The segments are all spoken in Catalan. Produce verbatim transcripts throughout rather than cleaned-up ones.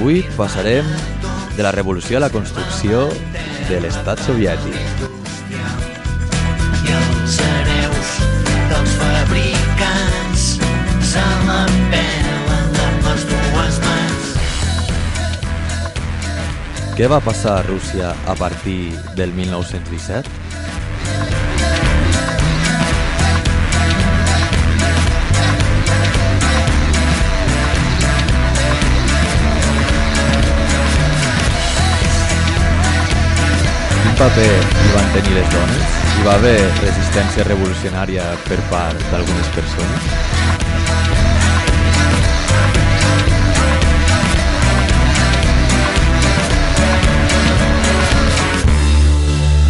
Avui passarem de la revolució a la construcció de l'estat soviètic. I els hereus dels fabricants se la pelen amb les dues mans. Què va passar a Rússia a partir del mil nou-cents disset? Quin paper hi van tenir les dones? Hi va haver resistència revolucionària per part d'algunes persones?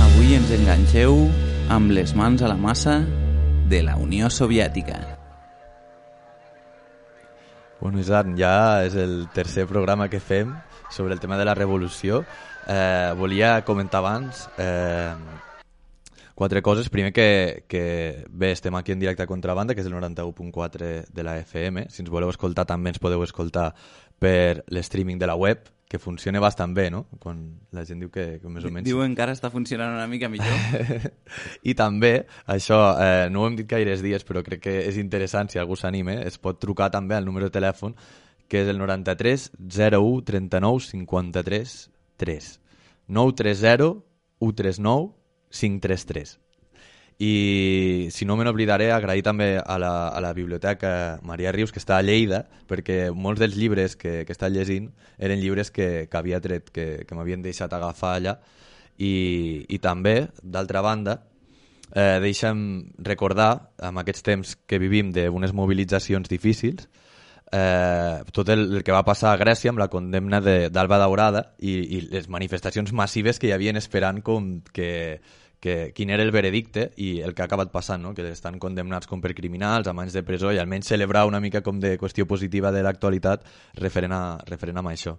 Avui ens enganxeu amb les mans a la massa de la Unió Soviètica. Bueno, Isaac, ja és el tercer programa que fem sobre el tema de la revolució. Eh, volia comentar abans eh, quatre coses. Primer que, que bé, estem aquí en directe a Contrabanda, que és el noranta-u punt quatre de la F M. Si ens voleu escoltar també ens podeu escoltar per l'streaming de la web, que funciona bastant bé, no? Quan la gent diu que, que més o menys... Diu encara està funcionant una mica millor. I també, això, eh, no ho hem dit gaires dies, però crec que és interessant, si algú s'anima, es pot trucar també al número de telèfon, que és el noranta-tres zero u trenta-nou cinquanta-tres tres. nou tres zero u tres nou cinc tres tres. I si no me n'oblidaré, agrair també a la, a la biblioteca Maria Rius, que està a Lleida, perquè molts dels llibres que, que està llegint eren llibres que, que havia tret, que, que m'havien deixat agafar allà. I, i també, d'altra banda, eh, deixa'm recordar, amb aquests temps que vivim d'unes mobilitzacions difícils, Eh, tot el, el que va passar a Grècia amb la condemna d'Alba Daurada i, i les manifestacions massives que hi havien esperant com que, que, quin era el veredicte i el que ha acabat passant, no? Que estan condemnats com per criminals, amb anys de presó, i almenys celebrar una mica com de qüestió positiva de l'actualitat referent a, referent a això.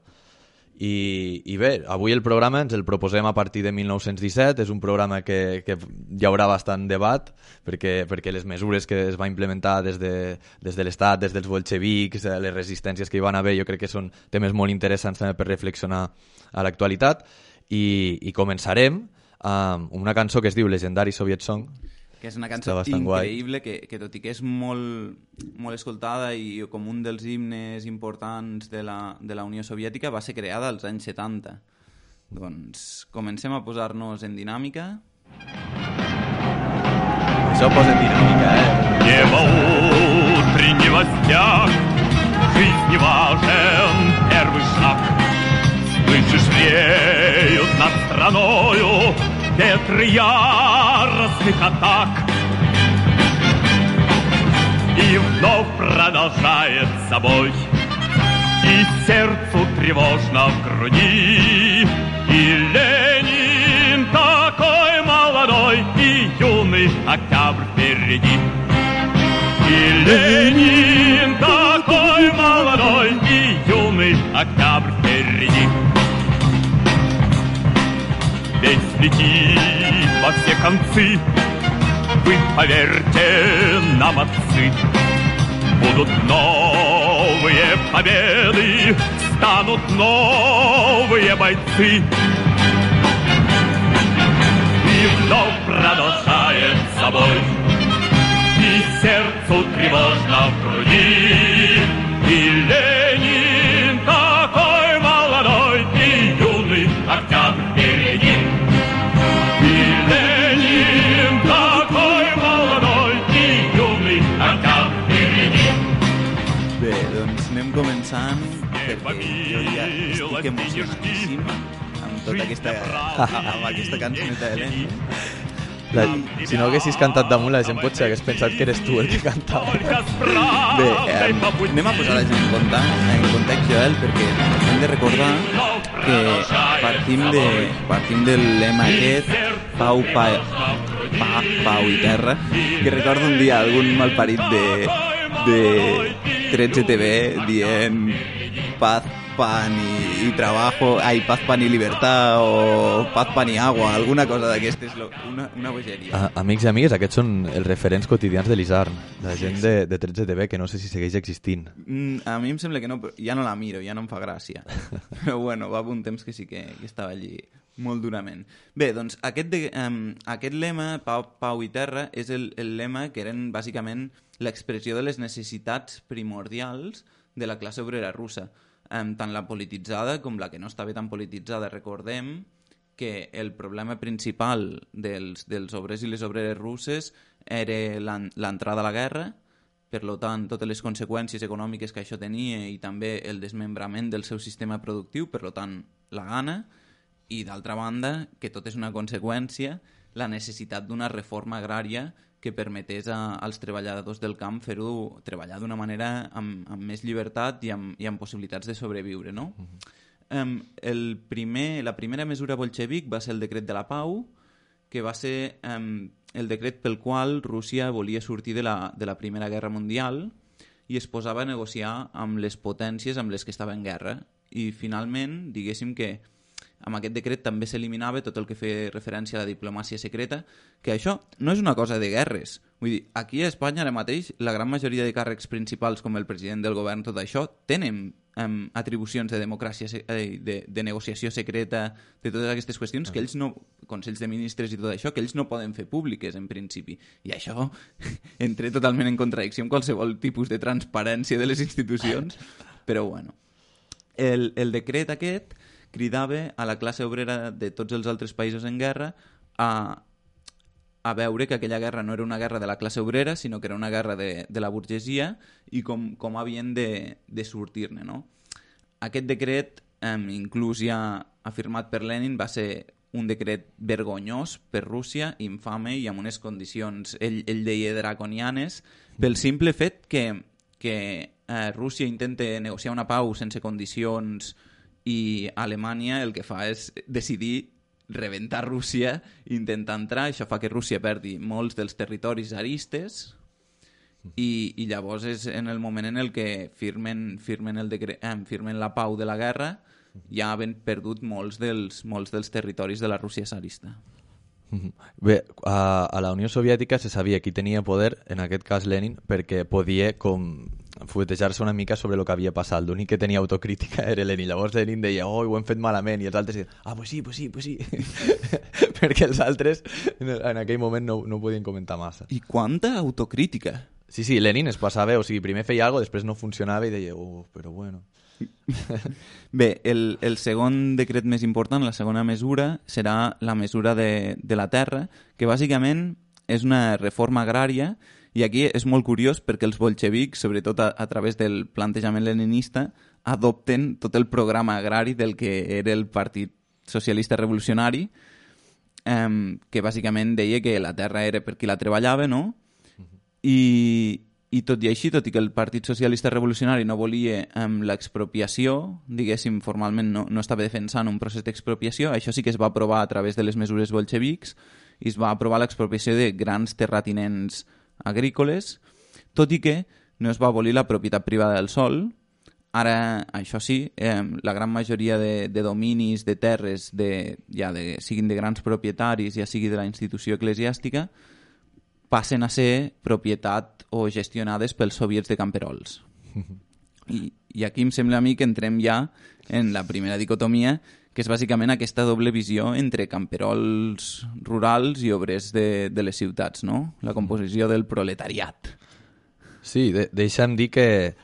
I, i bé, avui el programa ens el proposem a partir de mil nou-cents disset. És un programa que, que hi haurà bastant debat perquè, perquè les mesures que es va implementar des de, des de l'Estat, des dels bolxevics, les resistències que hi van haver, jo crec que són temes molt interessants també per reflexionar a l'actualitat. I, i començarem amb una cançó que es diu Legendary Soviet Song, que és una cançó increïble que, que tot i que és molt, molt escoltada i com un dels himnes importants de la, de la Unió Soviètica, va ser creada als anys setanta. Doncs comencem a posar-nos en dinàmica. Això posa en dinàmica, eh? Небо утреннего стяг, жизни важен первый шаг. Слышишь, реют над страною ветры яростных атак. И вновь продолжается бой, и сердцу тревожно в груди. И Ленин такой молодой, и юный октябрь впереди. И Ленин такой молодой, и юный октябрь впереди. Весь летит во все концы, вы поверьте нам, отцы. Будут новые победы, станут новые бойцы. И вновь продолжает собой, и сердцу тревожно в груди. И Ленин такой молодой, и юный октябрь впереди. И Ленин такой молодой, и юный октябрь vпереди. Bé, doncs anem començant perquè jo ja estic emocionadíssim amb tota aquesta, amb aquesta cançoneta de Lenin. La, si no haguessis cantat damunt, la gent potser hagués pensat que eres tu el que cantava. Bé, eh, anem a posar la gent en context, en context, Joel, perquè hem de recordar que partim, de, partim del lema aquest, pau, pa, pa, pau i terra, que recordo un dia algun malparit de, de tretze T V dient paz, pan y, y trabajo, ai, paz, pan y libertad, o paz, pan y agua, alguna cosa d'aquestes, una, una bogeria. A, amics i amigues, aquests són els referents quotidians de l'Isarn, la gent de, de tretze T V, que no sé si segueix existint. Mm, a mi em sembla que no, però ja no la miro, ja no em fa gràcia. Però bueno, va un temps que sí que, que estava allí molt durament. Bé, doncs aquest, de, um, aquest lema, Pau, Pau i Terra, és el, el lema que eren bàsicament l'expressió de les necessitats primordials de la classe obrera russa, um, tant la polititzada com la que no estava tan polititzada. Recordem que el problema principal dels, dels obrers i les obreres russes era l'entrada a la guerra, per tant, totes les conseqüències econòmiques que això tenia i també el desmembrament del seu sistema productiu, per tant, la gana, i d'altra banda, que tot és una conseqüència, la necessitat d'una reforma agrària que permetés a, als treballadors del camp fer-ho, treballar d'una manera amb, amb més llibertat i amb, i amb possibilitats de sobreviure, no? Uh-huh. um, el primer, la primera mesura bolxevic va ser el decret de la pau, que va ser um, el decret pel qual Rússia volia sortir de la, de la Primera Guerra Mundial i es posava a negociar amb les potències amb les que estava en guerra. I finalment, diguéssim que amb aquest decret també s'eliminava tot el que feia referència a la diplomàcia secreta, que això no és una cosa de guerres. Vull dir, aquí a Espanya ara mateix la gran majoria de càrrecs principals com el president del govern, tot això, tenen um, atribucions de democràcia, eh, de, de negociació secreta, de totes aquestes qüestions que ells no, consells de ministres i tot això, que ells no poden fer públiques en principi. I això entra totalment en contradicció amb qualsevol tipus de transparència de les institucions, però bueno. El, el decret aquest cridava a la classe obrera de tots els altres països en guerra a, a veure que aquella guerra no era una guerra de la classe obrera, sinó que era una guerra de, de la burgesia i com, com havien de, de sortir-ne, no? Aquest decret, eh, inclús ja afirmat per Lenin, va ser un decret vergonyós per Rússia, infame i amb unes condicions, ell, ell deia, draconianes, pel simple fet que, que eh, Rússia intenta negociar una pau sense condicions i Alemanya el que fa és decidir rebentar Rússia i intentar entrar. Això fa que Rússia perdi molts dels territoris zaristes i, i llavors és en el moment en el que firmen, firmen, el decre... eh, firmen la pau de la guerra, ja havent perdut molts dels, molts dels territoris de la Rússia zarista. Bé, a, a la Unió Soviètica se sabia qui tenia poder, en aquest cas Lenin, perquè podia com fuetejar-se una mica sobre el que havia passat. L'únic que tenia autocrítica era Lenin. Llavors Lenin deia, oh, ho hem fet malament, i els altres deien, ah, pues sí, pues sí, pues sí. Perquè els altres en aquell moment no, no podien comentar massa. I quanta autocrítica! Sí, sí, Lenin es passava, o sigui, primer feia alguna cosa, després no funcionava i deia, oh, però bueno... Bé, el, el segon decret més important, la segona mesura, serà la mesura de, de la terra, que bàsicament és una reforma agrària, i aquí és molt curiós perquè els bolxevics, sobretot a, a través del plantejament leninista, adopten tot el programa agrari del que era el Partit Socialista Revolucionari, eh, que bàsicament deia que la terra era per qui la treballava, no? I... I tot i així, tot i que el Partit Socialista Revolucionari no volia um, l'expropiació, diguéssim, formalment no, no estava defensant un procés d'expropiació, això sí que es va aprovar a través de les mesures bolxevics i es va aprovar l'expropiació de grans terratinents agrícoles, tot i que no es va abolir la propietat privada del sòl. Ara, això sí, eh, la gran majoria de, de dominis, de terres, de, ja de, siguin de grans propietaris, ja sigui de la institució eclesiàstica, passen a ser propietat o gestionades pels soviets de camperols. I, I aquí em sembla a mi que entrem ja en la primera dicotomia, que és bàsicament aquesta doble visió entre camperols rurals i obrers de, de les ciutats, no? La composició del proletariat. Sí, de, deixa'm dir que,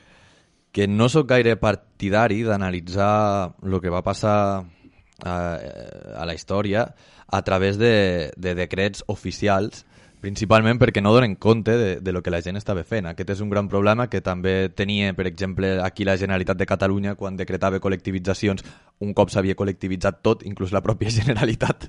que no sóc gaire partidari d'analitzar el que va passar a, a la història a través de, de decrets oficials, principalment perquè no donen compte de, de lo que la gent estava fent. Aquest és un gran problema que també tenia, per exemple, aquí la Generalitat de Catalunya quan decretava col·lectivitzacions un cop s'havia col·lectivitzat tot, inclús la pròpia Generalitat,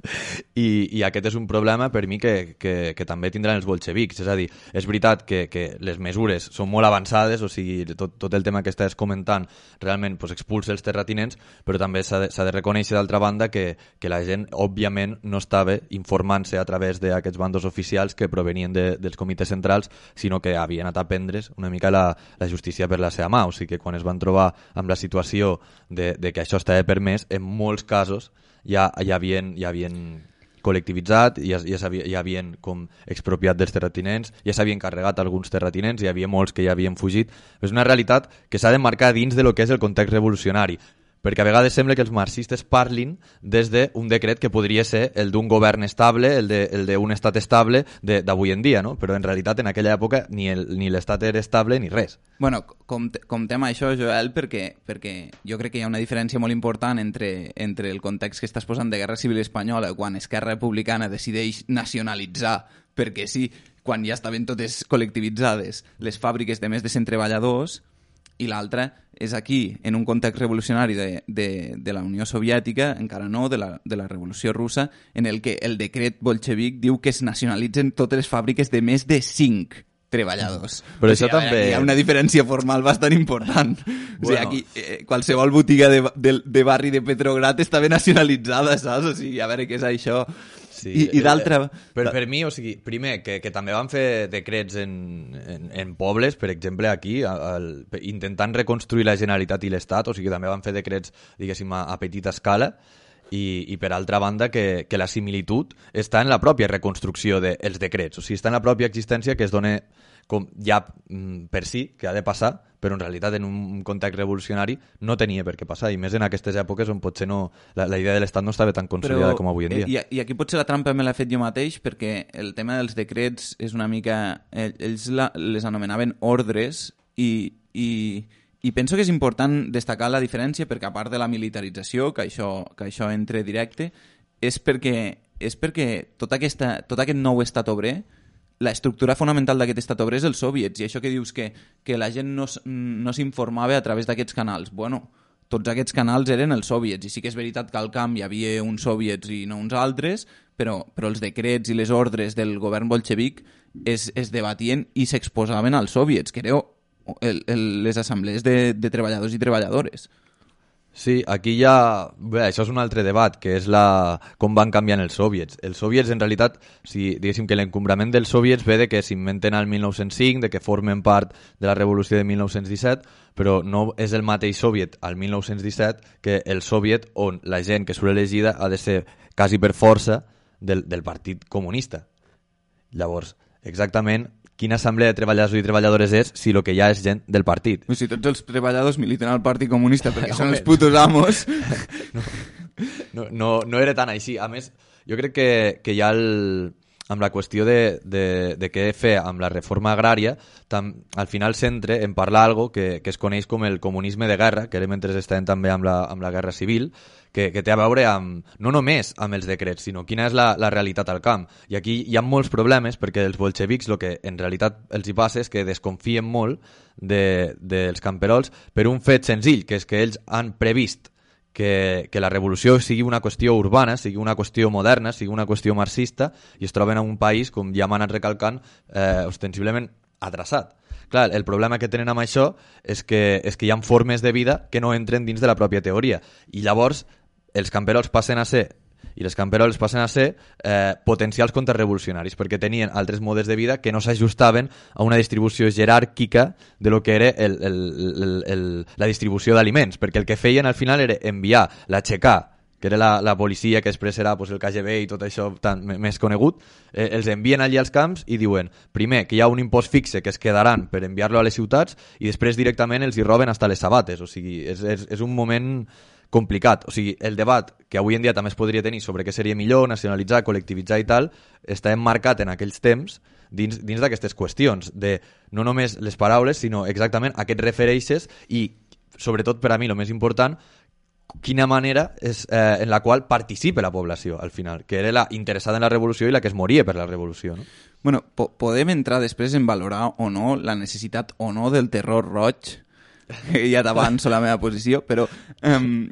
i, i aquest és un problema per mi que, que, que també tindran els bolxevics. És a dir, és veritat que, que les mesures són molt avançades, o sigui, tot, tot el tema que estàs comentant realment pues, expulsa els terratinents, però també s'ha de, s'ha de reconèixer d'altra banda que, que la gent, òbviament, no estava informant-se a través d'aquests bandos oficials que provenien de, dels comitès centrals, sinó que havien anat a prendre's una mica la, la justícia per la seva mà. O sigui que quan es van trobar amb la situació de, de que això estava permès, en molts casos ja, ja havien, ja havien col·lectivitzat, ja, ja, ja havien com expropiat dels terratinents, ja s'havien carregat alguns terratinents, hi havia molts que ja havien fugit. És una realitat que s'ha de marcar dins de lo que és el context revolucionari, perquè a vegades sembla que els marxistes parlin des d'un decret que podria ser el d'un govern estable, el d'un estat estable d'avui en dia, no? Però en realitat en aquella època ni l'estat era estable ni res. Bueno, comptem això, Joel, perquè, perquè jo crec que hi ha una diferència molt important entre, entre el context que estàs posant de Guerra Civil Espanyola, quan Esquerra Republicana decideix nacionalitzar, perquè sí, quan ja estaven totes col·lectivitzades les fàbriques de més de cent treballadors, i l'altra és aquí, en un context revolucionari de, de, de la Unió Soviètica, encara no, de la, de la Revolució Russa, en el que el decret bolxevic diu que es nacionalitzen totes les fàbriques de més de cinc treballadors. Però o això sigui, també... Hi ha una diferència formal bastant important. Bueno. O sigui, aquí eh, qualsevol botiga de, de, de barri de Petrograd estava nacionalitzada, saps? O sigui, a veure què és això... Sí, I, i d'altra... Per, per mi, o sigui, primer, que, que també van fer decrets en, en, en pobles, per exemple, aquí, al, intentant reconstruir la Generalitat i l'Estat, o sigui, també van fer decrets, diguéssim, a, a petita escala, i, i per altra banda que, que la similitud està en la pròpia reconstrucció dels decrets, o sigui, està en la pròpia existència que es dona com ja per si, que ha de passar, però en realitat en un context revolucionari no tenia per què passar, i més en aquestes èpoques on potser no, la, la idea de l'Estat no estava tan consolidada però, com avui en dia. I, I aquí potser la trampa me l'he fet jo mateix, perquè el tema dels decrets és una mica... Ells la, les anomenaven ordres, i, i, i penso que és important destacar la diferència, perquè a part de la militarització, que això, que això entre directe, és perquè, és perquè tot, aquesta, tot aquest nou estat obrer, la estructura fonamental d'aquest estat obrer és els soviets, i això que dius que, que la gent no, no s'informava a través d'aquests canals. Bueno, tots aquests canals eren els soviets, i sí que és veritat que al camp hi havia uns soviets i no uns altres, però, però els decrets i les ordres del govern bolxevic es, es debatien i s'exposaven als soviets, que eren el, el, les assemblees de, de treballadors i treballadores. Sí, aquí ja... Bé, això és un altre debat, que és la... com van canviant els soviets. Els soviets, en realitat, si diguéssim que l'encombrament dels soviets ve de que s'inventen al mil nou-cents cinc, de que formen part de la revolució de mil nou-cents disset, però no és el mateix soviet al mil nou-cents disset que el soviet on la gent que surt elegida ha de ser quasi per força del, del Partit Comunista. Llavors, exactament... Quina assemblea de treballadors i treballadores és si el que hi ha és gent del partit? Si tots els treballadors militen al Partit Comunista perquè són els putos amos... No, no, no, no era tan així. A més, jo crec que, que hi ha el... amb la qüestió de, de, de què fer amb la reforma agrària, tam, al final centre en parlar algo que, que es coneix com el comunisme de guerra, que era mentre estàvem també amb la, amb la guerra civil, que, que té a veure amb, no només amb els decrets, sinó quina és la, la realitat al camp. I aquí hi ha molts problemes, perquè els bolxevics el que en realitat els hi passa és que desconfien molt de, dels camperols per un fet senzill, que és que ells han previst que, que la revolució sigui una qüestió urbana, sigui una qüestió moderna, sigui una qüestió marxista, i es troben en un país, com ja m'han anat recalcant, eh, ostensiblement atrasat. Clar, el problema que tenen amb això és que, és que hi ha formes de vida que no entren dins de la pròpia teoria, i llavors els camperols passen a ser i les camperoles passen a ser eh, potencials contrarrevolucionaris, perquè tenien altres modes de vida que no s'ajustaven a una distribució jeràrquica de lo que era el, el, el, el, la distribució d'aliments, perquè el que feien al final era enviar la txecà, que era la, la policia, que després serà pues, el K G B i tot això tan, més conegut, eh, els envien allí als camps i diuen, primer, que hi ha un impost fixe que es quedaran per enviar-lo a les ciutats, i després directament els hi roben hasta les sabates. O sigui, és, és, és un moment complicat. O sigui, el debat que avui en dia també es podria tenir sobre què seria millor, nacionalitzar, col·lectivitzar i tal, està emmarcat en aquells temps dins, dins d'aquestes qüestions, de no només les paraules, sinó exactament a què et refereixes i, sobretot per a mi, el més important, quina manera és, eh, en la qual participa la població, al final, que era la interessada en la revolució i la que es moria per la revolució, no? Bueno, po podem entrar després en valorar o no la necessitat o no del terror roig, ja t'avanço la meva posició, però um,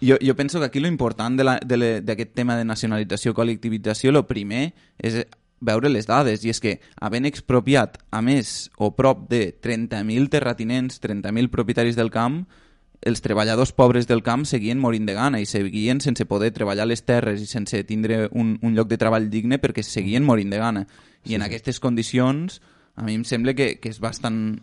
Jo, jo penso que aquí lo important d'aquest tema de nacionalització, col·lectivització, lo primer és veure les dades, i és que havent expropiat a més o prop de trenta mil terratinents, trenta mil propietaris del camp, els treballadors pobres del camp seguien morint de gana i seguien sense poder treballar les terres i sense tindre un, un lloc de treball digne perquè seguien morint de gana. I sí, en sí. aquestes condicions a mi em sembla que, que és bastant,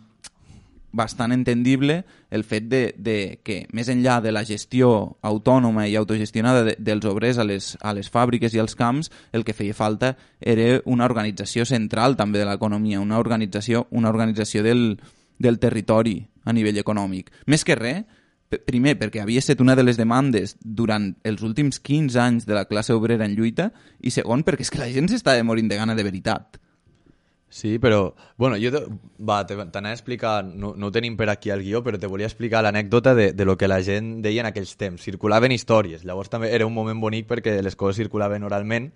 bastant entendible el fet de, de que, més enllà de la gestió autònoma i autogestionada de, dels obrers a les, a les fàbriques i als camps, el que feia falta era una organització central també de l'economia, una organització, una organització del, del territori a nivell econòmic. Més que res, primer, perquè havia estat una de les demandes durant els últims quinze anys de la classe obrera en lluita, i segon, perquè és que la gent s'estava morint de gana de veritat. Sí, però, bueno, jo te, va, t'anava a explicar, no, no ho tenim per aquí al guió, però te volia explicar l'anècdota de, de lo que la gent deia en aquells temps. Circulaven històries, llavors també era un moment bonic perquè les coses circulaven oralment.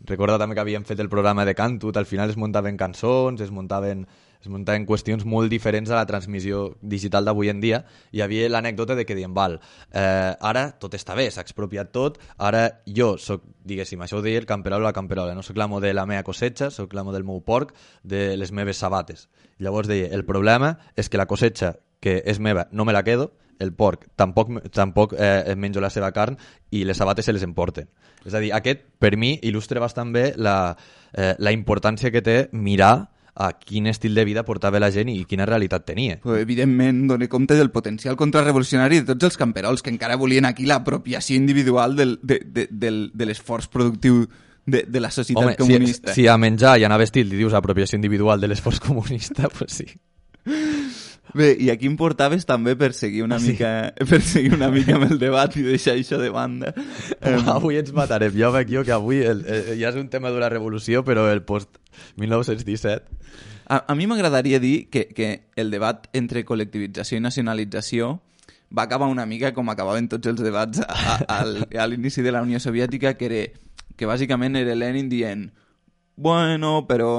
Recorda també que havíem fet el programa de Cantut, al final es muntaven cançons, es muntaven, es muntaven qüestions molt diferents a la transmissió digital d'avui en dia. Hi havia l'anècdota de que diem, val, eh, ara tot està bé, s'ha expropiat tot, ara jo soc, diguéssim, això ho deia el camperol o la camperola, no soc l'amo de la meva cosetxa, soc l'amo del meu porc, de les meves sabates. Llavors deia, el problema és que la cosetxa que és meva no me la quedo, el porc tampoc, tampoc eh, menjo la seva carn i les sabates se les emporten. És a dir, aquest, per mi, il·lustra bastant bé la, eh, la importància que té mirar a quin estil de vida portava la gent i quina realitat tenia. Pues, evidentment, dona compte del potencial contrarrevolucionari de tots els camperols que encara volien aquí l'apropiació individual del, de, de, del, de l'esforç productiu de, de la societat Home, comunista. Si, si a menjar i a anar vestit li dius apropiació individual de l'esforç comunista, pues sí. Bé, i aquí em portaves també per seguir una, ah, sí? mica, per seguir una mica amb el debat i deixar això de banda. Um... Avui ens matarem. Jo veig jo que avui el, el, ja és un tema de la revolució, però el post mil nou-cents disset... A, a mi m'agradaria dir que, que el debat entre col·lectivització i nacionalització va acabar una mica com acabaven tots els debats a, a, a, a l'inici de la Unió Soviètica, que, era, que bàsicament era Lenin dient bueno, però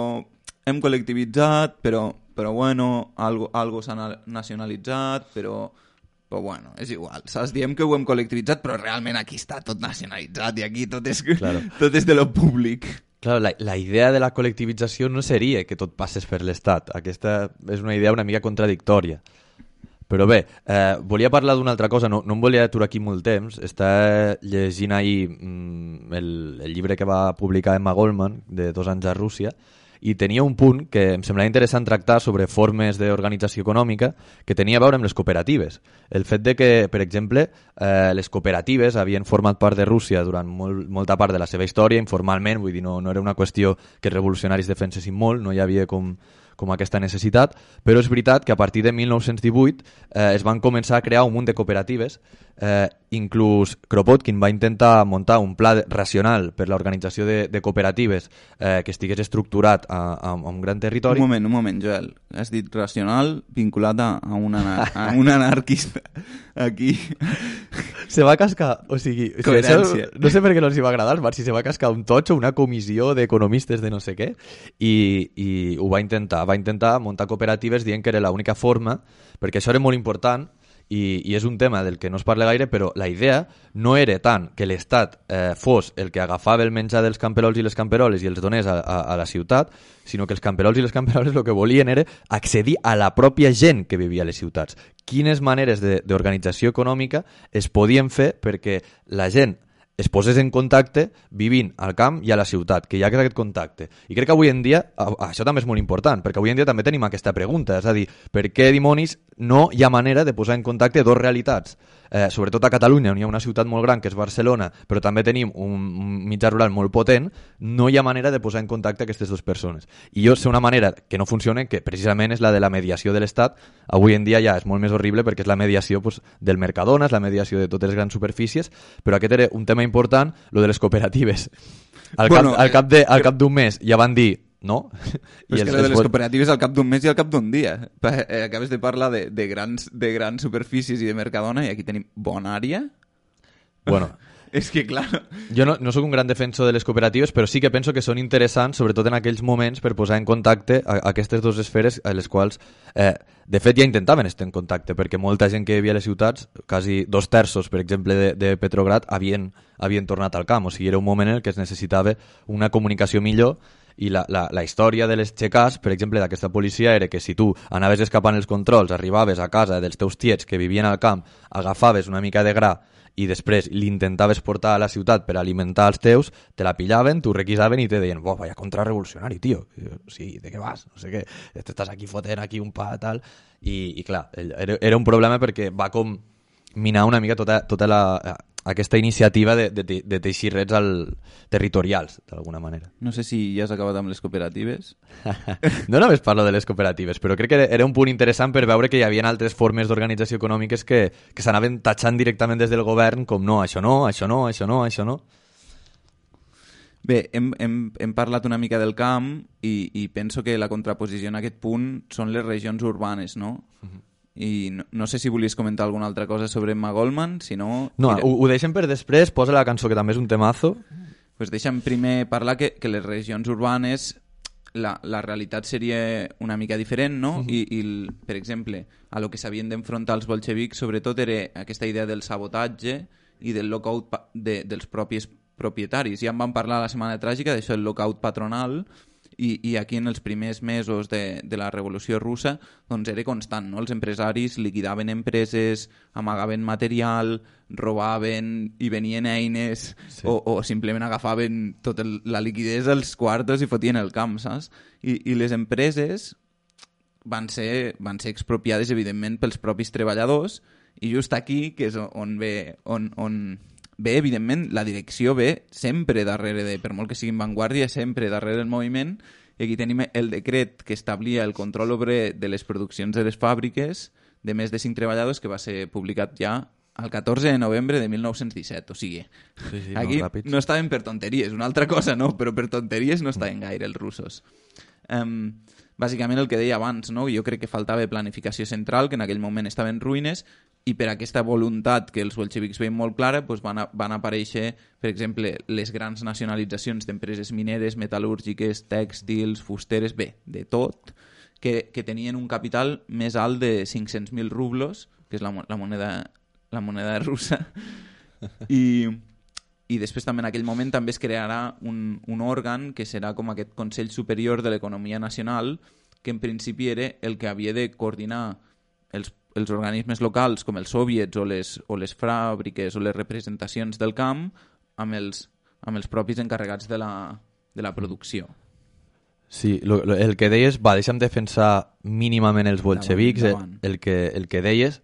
hem col·lectivitzat, però... però bueno, algo, algo s'ha nacionalitzat, però, però bueno, és igual. Saps? Diem que ho hem col·lectivitzat, però realment aquí està tot nacionalitzat i aquí tot és, claro. tot és de lo públic. Claro, la, la idea de la col·lectivització no seria que tot passés per l'Estat. Aquesta és una idea una mica contradictòria. Però bé, eh, volia parlar d'una altra cosa, no, no em volia aturar aquí molt temps. Està llegint ahir mm, el, el llibre que va publicar Emma Goldman, de dos anys a Rússia, i tenia un punt que em semblava interessant tractar sobre formes d'organització econòmica que tenia a veure amb les cooperatives. El fet de que, per exemple, eh, les cooperatives havien format part de Rússia durant molt, molta part de la seva història, informalment, vull dir, no, no era una qüestió que els revolucionaris defensessin molt, no hi havia com, com aquesta necessitat, però és veritat que a partir de mil nou-cents divuit eh, es van començar a crear un munt de cooperatives. Eh, inclús Kropotkin va intentar muntar un pla racional per l'organització de, de cooperatives eh, que estigués estructurat a, a, a un gran territori. Un moment, un moment, Joel. Has dit racional vinculat a, a, un, anar, a un anarquista. Aquí... Se va cascar, o sigui... Coherència. No sé per què no els va agradar, si se va cascar un totxo, una comissió d'economistes de no sé què, i, i ho va intentar. Va intentar muntar cooperatives dient que era l'única forma, perquè això era molt important, I, i és un tema del que no es parla gaire, però la idea no era tant que l'Estat eh, fos el que agafava el menjar dels camperols i les camperoles i els donés a, a, a la ciutat, sinó que els camperols i les camperoles el que volien era accedir a la pròpia gent que vivia a les ciutats. Quines maneres d'organització econòmica es podien fer perquè la gent es posés en contacte vivint al camp i a la ciutat, que hi ha aquest contacte. I crec que avui en dia, això també és molt important, perquè avui en dia també tenim aquesta pregunta, és a dir, per què dimonis no hi ha manera de posar en contacte dos realitats? Eh, sobretot a Catalunya, on hi ha una ciutat molt gran que és Barcelona, però també tenim un, un mitjà rural molt potent, no hi ha manera de posar en contacte aquestes dues persones. I jo sé una manera que no funciona, que precisament és la de la mediació de l'Estat. Avui en dia ja és molt més horrible perquè és la mediació pues, del Mercadona, és la mediació de totes les grans superfícies, però aquest era un tema important, lo de les cooperatives. Al bueno, cap, al cap de, al cap d'un mes ja van dir no? Però és que el de les cooperatives al cap d'un mes i al cap d'un dia. Eh, acabes de parlar de, de, grans, de grans superfícies i de Mercadona i aquí tenim Bonària. Bueno, És que, clar... Jo no, no sóc un gran defensor de les cooperatives, però sí que penso que són interessants, sobretot en aquells moments, per posar en contacte a, a aquestes dues esferes a les quals, eh, de fet, ja intentaven estar en contacte, perquè molta gent que vivia a les ciutats, quasi dos terços, per exemple, de, de Petrograd, havien, havien tornat al camp. O sigui, era un moment en el que es necessitava una comunicació millor, i la, la, la història de les xecars, per exemple, d'aquesta policia era que si tu anaves escapant els controls, arribaves a casa dels teus tiets que vivien al camp, agafaves una mica de gra i després l'intentaves portar a la ciutat per alimentar els teus, te la pillaven, t'ho requisaven i te deien, oh, vaya contrarrevolucionari, tio. Sí, ¿de què vas? No sé què. Estàs aquí fotent aquí un pa, tal. I, i clar, era, era un problema perquè va com minar una mica tota, tota la, aquesta iniciativa de, de, de teixir rets al, territorials, d'alguna manera. No sé si ja has acabat amb les cooperatives. No només parlo de les cooperatives, però crec que era un punt interessant per veure que hi havia altres formes d'organització econòmiques que, que s'anaven tatxant directament des del govern com no, això no, això no, això no, això no. Bé, hem, hem, hem parlat una mica del camp i, i penso que la contraposició en aquest punt són les regions urbanes, no? Uh-huh. I no, no sé si volies comentar alguna altra cosa sobre Emma Goldman, si no... No, ho, ho deixem per després, posa la cançó que també és un temazo. Pues deixa'm primer parlar que, que les regions urbanes la, la realitat seria una mica diferent, no? Uh-huh. I, i per exemple, a lo que s'havien d'enfrontar els bolxevics sobretot era aquesta idea del sabotatge i del lockout de, dels propis propietaris. Ja en vam parlar la setmana tràgica d'això, el lockout patronal, i, i aquí en els primers mesos de, de la Revolució Russa doncs era constant, no? Els empresaris liquidaven empreses, amagaven material, robaven i venien eines, sí. o, o simplement agafaven tota la liquidesa als quartos i fotien el camp, saps? I, i les empreses van ser, van ser expropiades, evidentment, pels propis treballadors, i just aquí, que és on ve... On, on Bé, evidentment, la direcció ve sempre darrere de, per molt que siguin vanguardia, sempre darrere del moviment, i aquí tenim el decret que establia el control obrer de les produccions de les fàbriques de més de cinc treballadors, que va ser publicat ja el catorze de novembre de mil nou-cents disset, o sigui, sí, sí, aquí no, no estaven per tonteries, una altra cosa no, però per tonteries no estaven gaire els russos. Um, bàsicament el que deia abans, no? Jo crec que faltava planificació central, que en aquell moment estava en ruïnes, i per aquesta voluntat que els bolxevics veien molt clara doncs van, a, van aparèixer, per exemple, les grans nacionalitzacions d'empreses mineres, metal·lúrgiques, tèxtils, fusteres, bé, de tot, que, que tenien un capital més alt de cinc-cents mil rublos, que és la, la, moneda, la moneda russa, i, i després també en aquell moment també es crearà un, un òrgan que serà com aquest Consell Superior de l'Economia Nacional, que en principi era el que havia de coordinar els els organismes locals com els soviets o les, o les fàbriques o les representacions del camp amb els, amb els propis encarregats de la, de la producció. Sí, lo, lo, el que deies, va, deixa'm defensar mínimament els bolxevics, davant, davant. El, el, que, el que deies,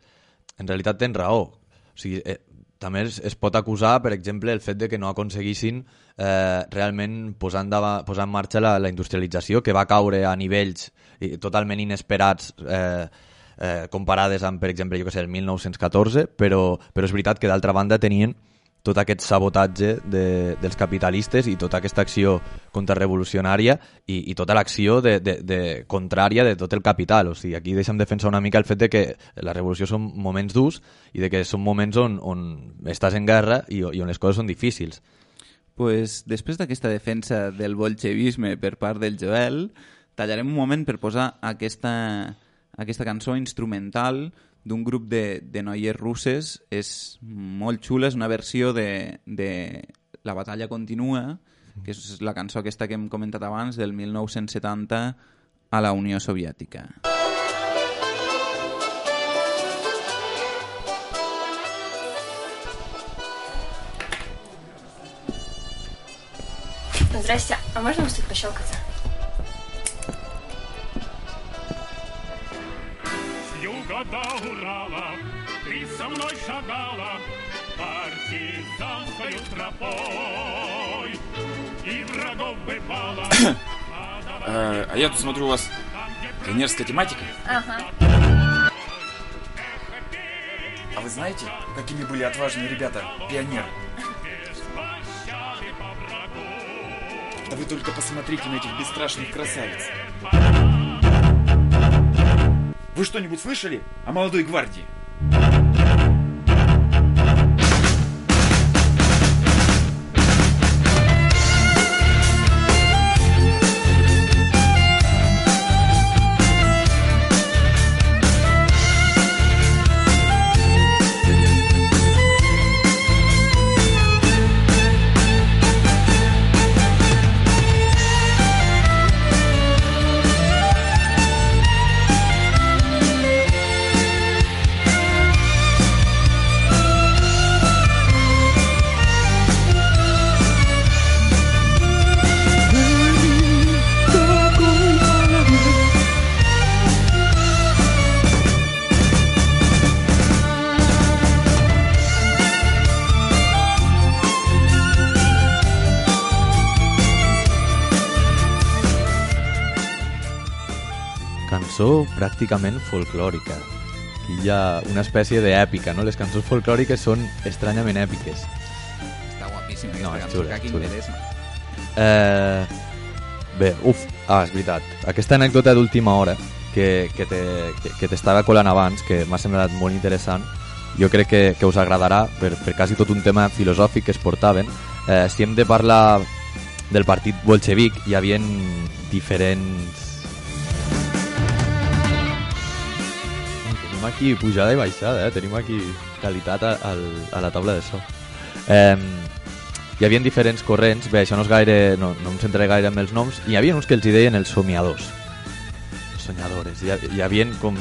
en realitat tens raó. O sigui, eh, també es, es pot acusar, per exemple, el fet de que no aconseguissin eh, realment posar en, dava, posar en marxa la, la industrialització, que va caure a nivells eh, totalment inesperats eh, Eh, comparades amb, per exemple, jo que sé, el mil nou-cents catorze, però, però és veritat que d'altra banda tenien tot aquest sabotatge de, dels capitalistes i tota aquesta acció contrarrevolucionària i, i tota l'acció de, de, de contrària de tot el capital. O sigui, aquí deixem defensar una mica el fet de que la revolució són moments durs i de que són moments on, on estàs en guerra i, i on les coses són difícils. Pues, després d'aquesta defensa del bolxevisme per part del Joel, tallarem un moment per posar aquesta... aquesta cançó instrumental d'un grup de, de noies russes. És molt xula, és una versió de, de La batalla continua, que és la cançó aquesta que hem comentat abans, del mil nou-cents setanta a la Unió Soviètica. Здрасте, а можно вас тут пощелкаться? До Урала ты со мной шагала партизанской тропой и врагов бывало. А я тут смотрю, у вас пионерская тематика. Ага. А вы знаете, какими были отважные ребята, пионеры? Да вы только посмотрите на этих бесстрашных красавиц. Вы что-нибудь слышали о молодой гвардии? cançó pràcticament folclòrica. Aquí hi ha una espècie d'èpica, no? Les cançons folclòriques són estranyament èpiques. Està guapíssim aquesta No, és cançó, xula, que xula. interessa. Eh, bé, uf, ah, és veritat. Aquesta anècdota d'última hora que, que, te, que, que t'estava colant abans, que m'ha semblat molt interessant, jo crec que, que us agradarà per, per quasi tot un tema filosòfic que es portaven. Eh, si hem de parlar del partit bolxevic, hi havia diferents... Tenim aquí pujada i baixada, eh? Tenim aquí qualitat a, a, a la taula de so. Eh, hi havia diferents corrents, bé, això no és gaire, no, no em centraré gaire en els noms, i hi havia uns que els hi deien els somiadors, els soñadores. Hi, hi havia com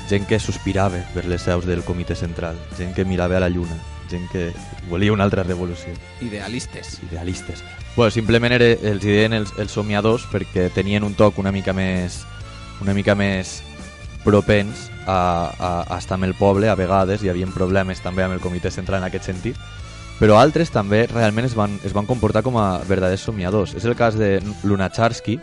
gent que sospirava per les seus del comitè central, gent que mirava a la lluna, gent que volia una altra revolució. Idealistes. Idealistes. Bueno, simplement era, els hi deien els, els somiadors perquè tenien un toc una mica més una mica més propens a, a, a estar amb el poble. A vegades hi havia problemes també amb el comitè central en aquest sentit, però altres també realment es van, es van comportar com a verdaders somiadors. És el cas de Lunacharsky,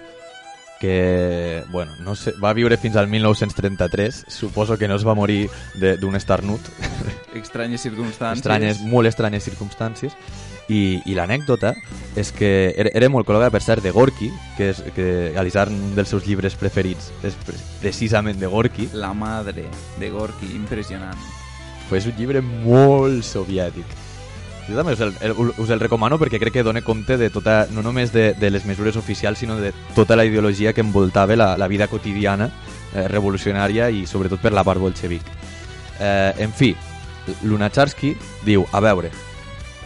que bueno, no sé, va viure fins al mil nou-cents trenta-tres, suposo que no es va morir d'un estarnut. Estranyes circumstàncies. Estranyes, molt estranyes circumstàncies. I, i l'anècdota és que era, era molt col·loca, per cert, de Gorky, que, és, que Alisar, un dels seus llibres preferits és precisament de Gorky. La madre de Gorky, impressionant. Pues és un llibre molt soviètic. Jo també us el, el, us el recomano perquè crec que dona compte de tota, no només de, de les mesures oficials, sinó de tota la ideologia que envoltava la, la vida quotidiana eh, revolucionària i sobretot per la part bolxevic. Eh, en fi, Lunacharsky diu, a veure,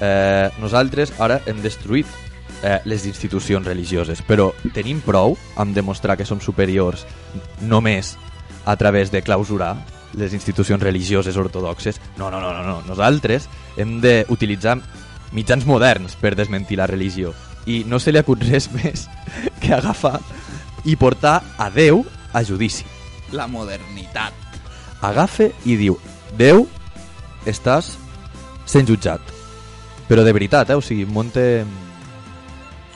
eh, nosaltres ara hem destruït eh, les institucions religioses, però tenim prou amb demostrar que som superiors només a través de clausurar les institucions religioses ortodoxes. No, no, no, no, no. Nosaltres hem d'utilitzar mitjans moderns per desmentir la religió. I no se li acut res més que agafar i portar a Déu a judici. La modernitat. Agafa i diu, Déu, estàs sent jutjat. Però de veritat, eh? O sigui, monta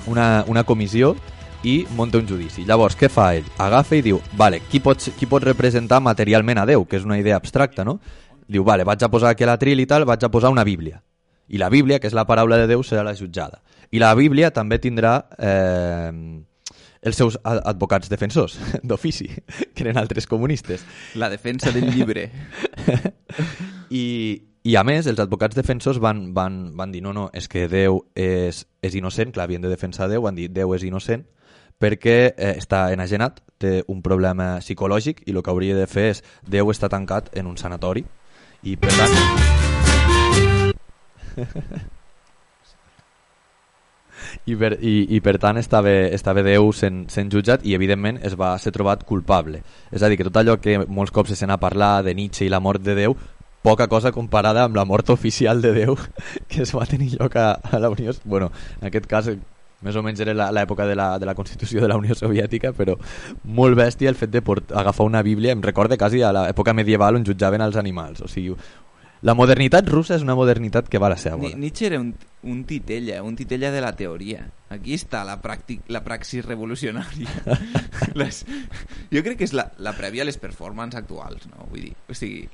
una, una comissió i monta un judici. Llavors, què fa ell? Agafa i diu, vale, qui pot, qui pot representar materialment a Déu? Que és una idea abstracta, no? Diu, vale, vaig a posar aquí a l'atril i tal, vaig a posar una Bíblia. I la Bíblia, que és la paraula de Déu, serà la jutjada. I la Bíblia també tindrà eh, els seus advocats defensors, d'ofici, que eren altres comunistes. La defensa del llibre. I, I a més, els advocats defensors van, van, van dir, no, no, és que Déu és, és innocent, clar, havien de defensar Déu, van dir, Déu és innocent, perquè eh, està enajenat, té un problema psicològic i el que hauria de fer és Déu està tancat en un sanatori i per tant I per, i, i per tant estava, estava Déu sent, sent jutjat i evidentment es va ser trobat culpable. És a dir, que tot allò que molts cops se n'ha parlat de Nietzsche i la mort de Déu, poca cosa comparada amb la mort oficial de Déu que es va tenir lloc a, a la Unió... Bueno, en aquest cas més o menys era l'època de la, de la Constitució de la Unió Soviètica, però molt bèstia el fet de port, agafar una Bíblia. Em recorda quasi a l'època medieval on jutjaven els animals. O sigui, la modernitat russa és una modernitat que va a la seva. Nietzsche era un, un titella, un titella de la teoria. Aquí està la, pràctic, la praxis revolucionària. les, jo crec que és la, la prèvia a les performances actuals, no? Vull dir, o sigui...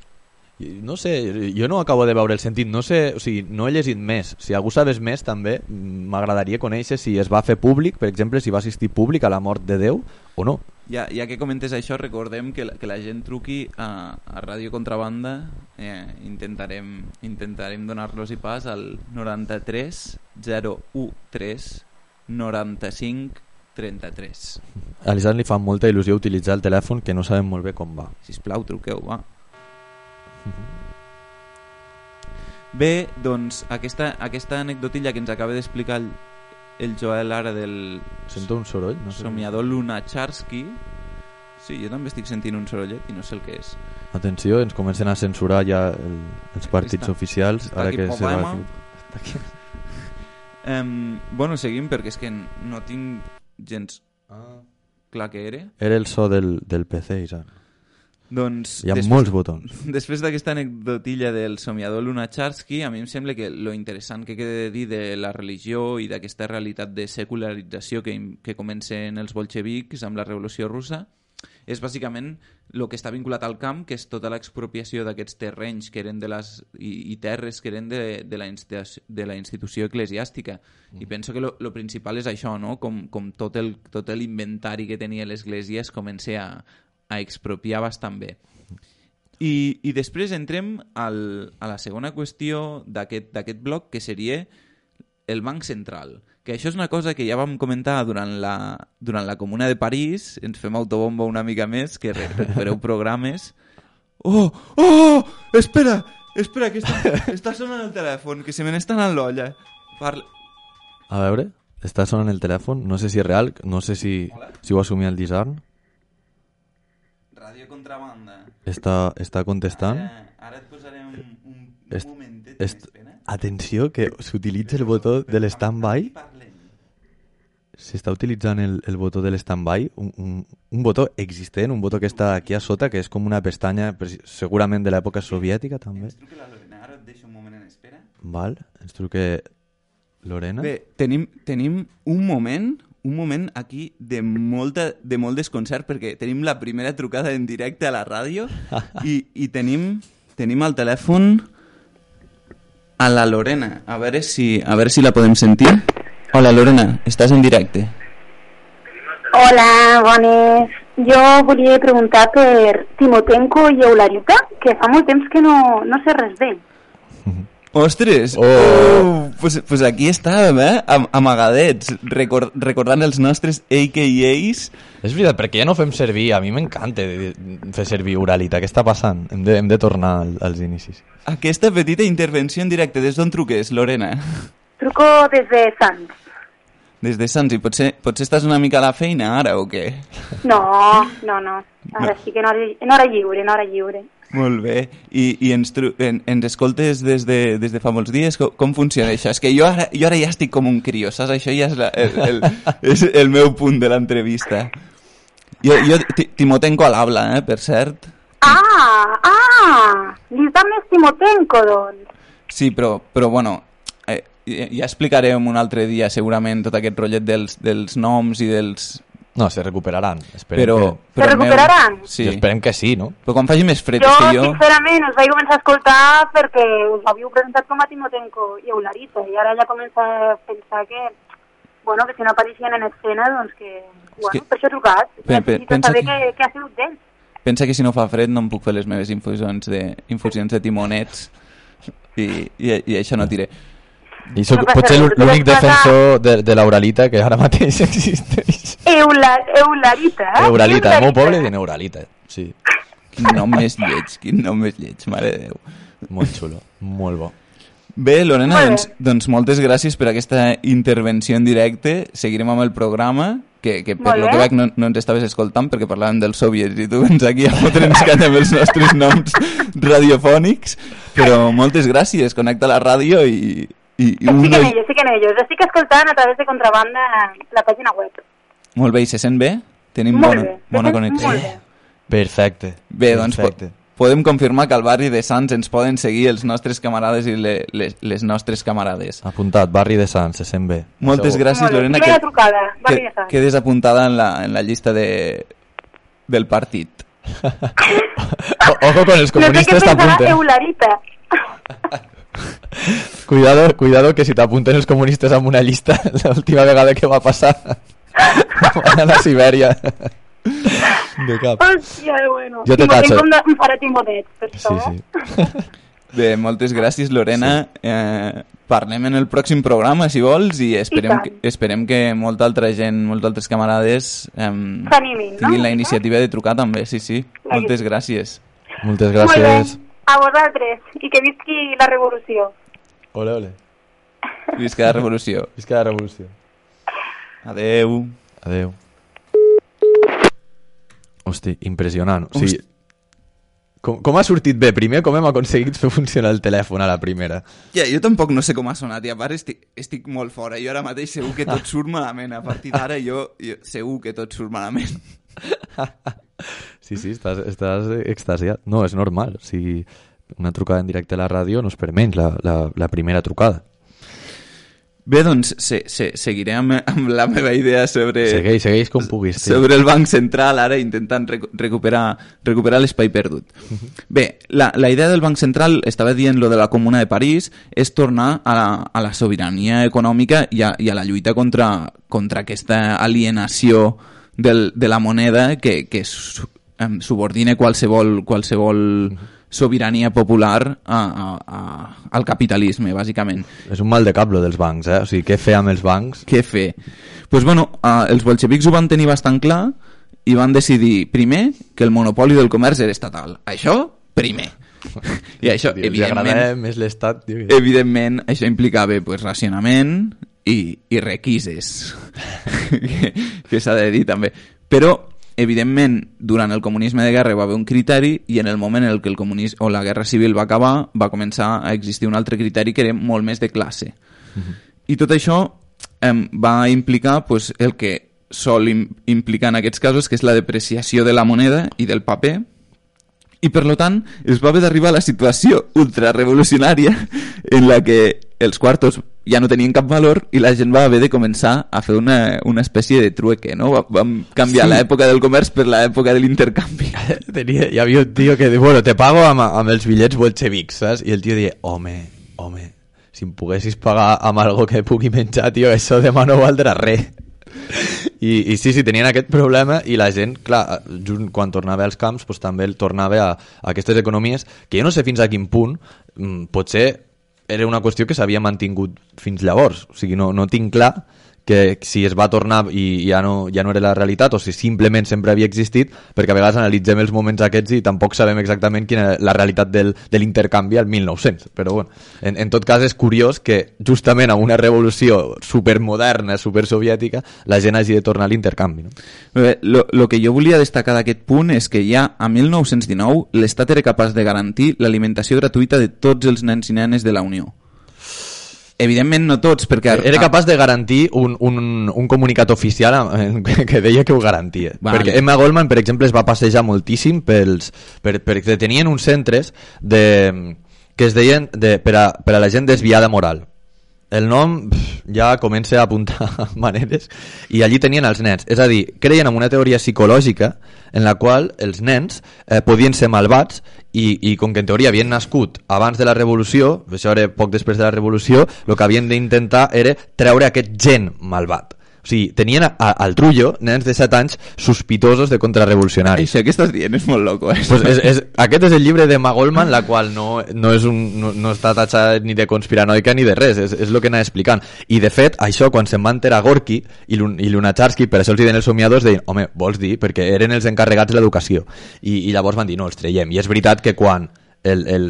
No sé, jo no acabo de veure el sentit, no sé, o sigui, no he llegit més. Si algú sabés més també, m'agradaria conèixer si es va fer públic, per exemple, si va assistir públic a la mort de Déu o no. Ja, ja que comentes això, recordem que la, que la gent truqui a, a Ràdio Contrabanda, eh, intentarem, intentarem donar-los-hi pas al noranta-tres zero u tres noranta-cinc trenta-tres. A l'Isaac li fa molta il·lusió utilitzar el telèfon, que no sabem molt bé com va. Sisplau, truqueu, va. Bé, doncs aquesta, aquesta anecdotilla que ens acaba d'explicar el, el Joel ara del Sento un soroll, no sé. somiador Lunacharsky. Sí, jo també estic sentint un sorollet i no sé el que és. Atenció, ens comencen a censurar ja el, els partits està, oficials. Està ara aquí que se va problema. aquí. Està aquí. Um, bueno, seguim perquè és que no tinc gens Ah. clar què era. Era el so del, del P C, Isaac. Doncs, Hi ha després, molts botons. Després d'aquesta anecdotilla del somiador Lunacharsky, a mi em sembla que lo interessant que queda de dir de la religió i d'aquesta realitat de secularització que, que comencen els bolxevics amb la Revolució Russa és bàsicament el que està vinculat al camp, que és tota l'expropiació d'aquests terrenys que eren de les, i, i terres que eren de, de, la, institució, de la institució eclesiàstica. Mm. I penso que el principal és això, no? Com, com tot, el, tot l'inventari que tenia l'Església es comença a, a expropiar bastant bé. I, i després entrem al, a la segona qüestió d'aquest bloc, que seria el Banc Central. Que això és una cosa que ja vam comentar durant la, durant la Comuna de París, ens fem autobomba una mica més, que re recupereu programes. Oh, oh, espera, espera, que està, està sonant el telèfon, que se me n'està anant l'olla. Parla... A veure, està sonant el telèfon, no sé si és real, no sé si, si ho assumia el Disarn. Ràdio Contrabanda. Està, està contestant. Ara, ara et posaré un, un, un est, momentet, est, atenció, que s'utilitza el botó de l'stand-by. S'està utilitzant el, el botó de l'stand-by, un, un, un botó existent, un botó que està aquí a sota, que és com una pestanya, segurament de l'època soviètica, també. Ens truca la Lorena, ara et deixo un moment en espera. Val, ens truca Lorena. Bé, tenim, tenim un moment, un moment aquí de, molta, de molt desconcert, perquè tenim la primera trucada en directe a la ràdio i, i tenim, tenim al telèfon a la Lorena. A veure si, a veure si la podem sentir. Hola, Lorena, estàs en directe. Hola, bones. Jo volia preguntar per Timotenko i Eularita, que fa molt temps que no, no sé res d'ell. Ostres! Oh! oh pues, pues aquí estàvem, eh? Am amagadets, record recordant els nostres A K As. És veritat, perquè ja no fem servir, a mi m'encanta fer servir Uralita. Què està passant? Hem de, hem de tornar al, als inicis. Aquesta petita intervenció en directe, des d'on truques, Lorena? Truco des de Sants. Des de Sants, i potser, potser estàs una mica a la feina ara o què? No, no, no. Ara no. Sí que en hora, en hora lliure, en hora lliure. Molt bé. I, i ens, en, ens escoltes des de, des de fa molts dies? Com, com funciona això? És que jo ara, jo ara ja estic com un crió, saps? Això ja és, la, el, el, és el meu punt de l'entrevista. Jo, jo Timotenko a l'habla, eh, per cert. Ah, ah! Li està més Timotenko, doncs. Sí, però, però bueno... Ja explicarem un altre dia segurament tot aquest rotllet dels, dels noms i dels... No, se recuperaran. Esperem però, que... però se recuperaran? Meu... Sí. I esperem que sí, no? Però quan faci més fred... Jo, és que jo, sincerament, us vaig començar a escoltar perquè us havíeu presentat com a Timotenko i Eularita, i ara ja comença a pensar que, bueno, que si no apareixien en escena, doncs que... Bueno, que... per això he trucat. Pe pe pensa saber que... què, què ha sigut d'ells. Pensa que si no fa fred no em puc fer les meves infusions de, infusions de timonets i, i, i això no tiré. I soc no potser l'únic defensor de, de l'Euralita que ara mateix existeix. Eula, Eularita, eh? Euralita, el meu poble diu Euralita, sí. Quin nom més lleig, quin nom més lleig, mare de Déu. Molt xulo, molt bo. Bé, Lorena, doncs, doncs moltes gràcies per aquesta intervenció en directe. Seguirem amb el programa, que, que per lo que veig no, no ens estaves escoltant perquè parlàvem dels soviets i tu vens aquí a fotre'ns canya amb els nostres noms radiofònics, però moltes gràcies, connecta la ràdio i... I, i estic en ellos, estic en ellos. Estic escoltant a través de Contrabanda la pàgina web. Molt bé, i se sent bé? Tenim molt bona, bé, bona connexió. Molt bé. Perfecte. Bé, doncs Perfecte. Po podem confirmar que al barri de Sants ens poden seguir els nostres camarades i le, les, les nostres camarades. Apuntat, barri de Sants, se sent bé. Moltes Segur. gràcies, Lorena. Que, trucada, barri de Sants. Quedes apuntada en la, en la llista de, del partit. Ojo con els comunistes t'apunten. No sé què pensarà Eularita. Cuidado, cuidado que si t'apunten els comunistes amb una llista l'última vegada que va passar van a la Sibèria de cap. Hòstia, bueno. Jo te tacho. Em faré timonet, per això. Sí, sí. Bé, moltes gràcies, Lorena. Sí. Eh, parlem en el pròxim programa, si vols, i esperem, I que, esperem que molta altra gent, molts altres camarades eh, s'animin, tinguin no? la iniciativa de trucar també, sí, sí. Clar, moltes gràcies. Moltes gràcies. A vosaltres, i que visqui la revolució. Ole, ole. Visca la revolució. Visca la revolució. Adeu. Adeu. Hosti, impressionant. O sigui, com, com ha sortit bé? Primer, com hem aconseguit fer funcionar el telèfon a la primera? Ja, jo tampoc no sé com ha sonat, i a part estic, estic molt fora. Jo ara mateix segur que tot surt malament. A partir d'ara jo, jo segur que tot surt malament. Sí, sí, estàs, estàs extasiat. No, és normal. O sigui, una trucada en directe a la ràdio no és per menys la, la, la primera trucada. Bé, doncs se, se, seguiré amb, amb la meva idea sobre... Segueix, segueix com puguis. Sí. Sobre el Banc Central, ara intentant rec recuperar, recuperar l'espai perdut. Bé, la, la idea del Banc Central, estava dient lo de la Comuna de París, és tornar a la, a la sobirania econòmica i a, i a la lluita contra, contra aquesta alienació del, de la moneda que, que su, um, subordina qualsevol... qualsevol uh-huh. sobirania popular a, a, a, al capitalisme, bàsicament. És un mal de cap, lo dels bancs, eh? O sigui, què fer amb els bancs? Què fer? Doncs, pues, bueno, uh, els bolxevics ho van tenir bastant clar i van decidir, primer, que el monopoli del comerç era estatal. Això, primer. I això, Dios, evidentment... més l'estat. Evidentment, això implicava pues, racionament i, i requises. que que s'ha de dir, també. Però... evidentment, durant el comunisme de guerra va haver un criteri i en el moment en el que el comunisme o la guerra civil va acabar va començar a existir un altre criteri que era molt més de classe. Uh-huh. I tot això eh, va implicar pues, el que sol im implicar en aquests casos, que és la depreciació de la moneda i del paper, i per tant es va haver d'arribar a la situació ultrarevolucionària en la que els quartos ja no tenien cap valor i la gent va haver de començar a fer una, una espècie de trueque, no? Vam canviar sí. l'època del comerç per l'època de l'intercanvi. Tenia, hi havia un tio que diu, bueno, te pago amb, amb els bitllets bolxevics, saps? I el tio deia, home, home, si em poguessis pagar amb algo que pugui menjar, tio, això demà no valdrà res. I, i sí, sí, tenien aquest problema i la gent, clar, just quan tornava als camps pues, també tornava a, a aquestes economies que jo no sé fins a quin punt potser era una qüestió que s'havia mantingut fins llavors, o sigui, no, no tinc clar que si es va tornar i ja no, ja no era la realitat o si simplement sempre havia existit, perquè a vegades analitzem els moments aquests i tampoc sabem exactament quina era la realitat del, de l'intercanvi al mil nou-cents, però bueno, en, en tot cas és curiós que justament amb una revolució supermoderna, supersoviètica, la gent hagi de tornar a l'intercanvi, no? Bé, lo, lo que jo volia destacar d'aquest punt és que ja a mil nou-cents dinou l'Estat era capaç de garantir l'alimentació gratuïta de tots els nens i nenes de la Unió. Evidentment no tots, perquè... Era capaç de garantir un, un, un comunicat oficial que deia que ho garantia. Vale. Perquè Emma Goldman, per exemple, es va passejar moltíssim pels, per, perquè tenien uns centres de, que es deien de, per, a, per a la gent desviada moral. El nom ja comença a apuntar maneres i allí tenien els nens. És a dir, creien en una teoria psicològica en la qual els nens eh, podien ser malvats i, i com que en teoria havien nascut abans de la revolució, això era poc després de la revolució, el que havien d'intentar era treure aquest gen malvat. O sigui, tenien a, a, al trullo nens de set anys sospitosos de contrarrevolucionaris. Això que estàs dient és molt loco, eh? Pues és, és, aquest és el llibre de Emma Goldman, la qual no, no, és un, no, no està tatxada ni de conspiranoica ni de res, és, és el que anava explicant. I de fet, això, quan se'n va enterar Gorky i, i Lunacharsky, per això els diuen els somiadors, deien, home, vols dir? Perquè eren els encarregats de l'educació. I, I llavors van dir, no, els traiem. I és veritat que quan el, el,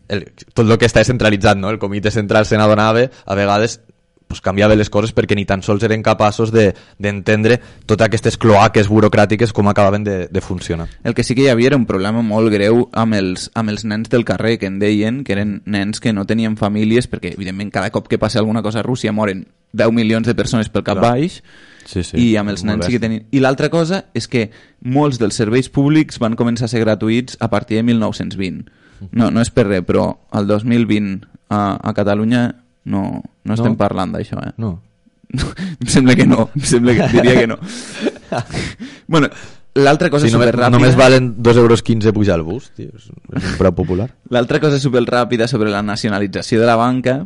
el, tot el que està centralitzat, no? El comitè central se n'adonava, a vegades pues canviava les coses perquè ni tan sols eren capaços d'entendre de, totes aquestes cloaques burocràtiques com acabaven de, de funcionar. El que sí que hi havia era un problema molt greu amb els, amb els nens del carrer, que en deien que eren nens que no tenien famílies, perquè evidentment cada cop que passa alguna cosa a Rússia moren deu milions de persones pel cap Clar. baix, sí, sí, i amb els nens sí que tenien... I l'altra cosa és que molts dels serveis públics van començar a ser gratuïts a partir de mil nou-cents vint. No, no és per res, però el dos mil vint a, a Catalunya No, no estem no? parlant d'això, eh? No. Em sembla que no, em sembla que diria que no. Bueno, l'altra cosa sí, superràpida... Només valen dos euros quinze pujar al bus, tio, és un preu popular. L'altra cosa superràpida sobre la nacionalització de la banca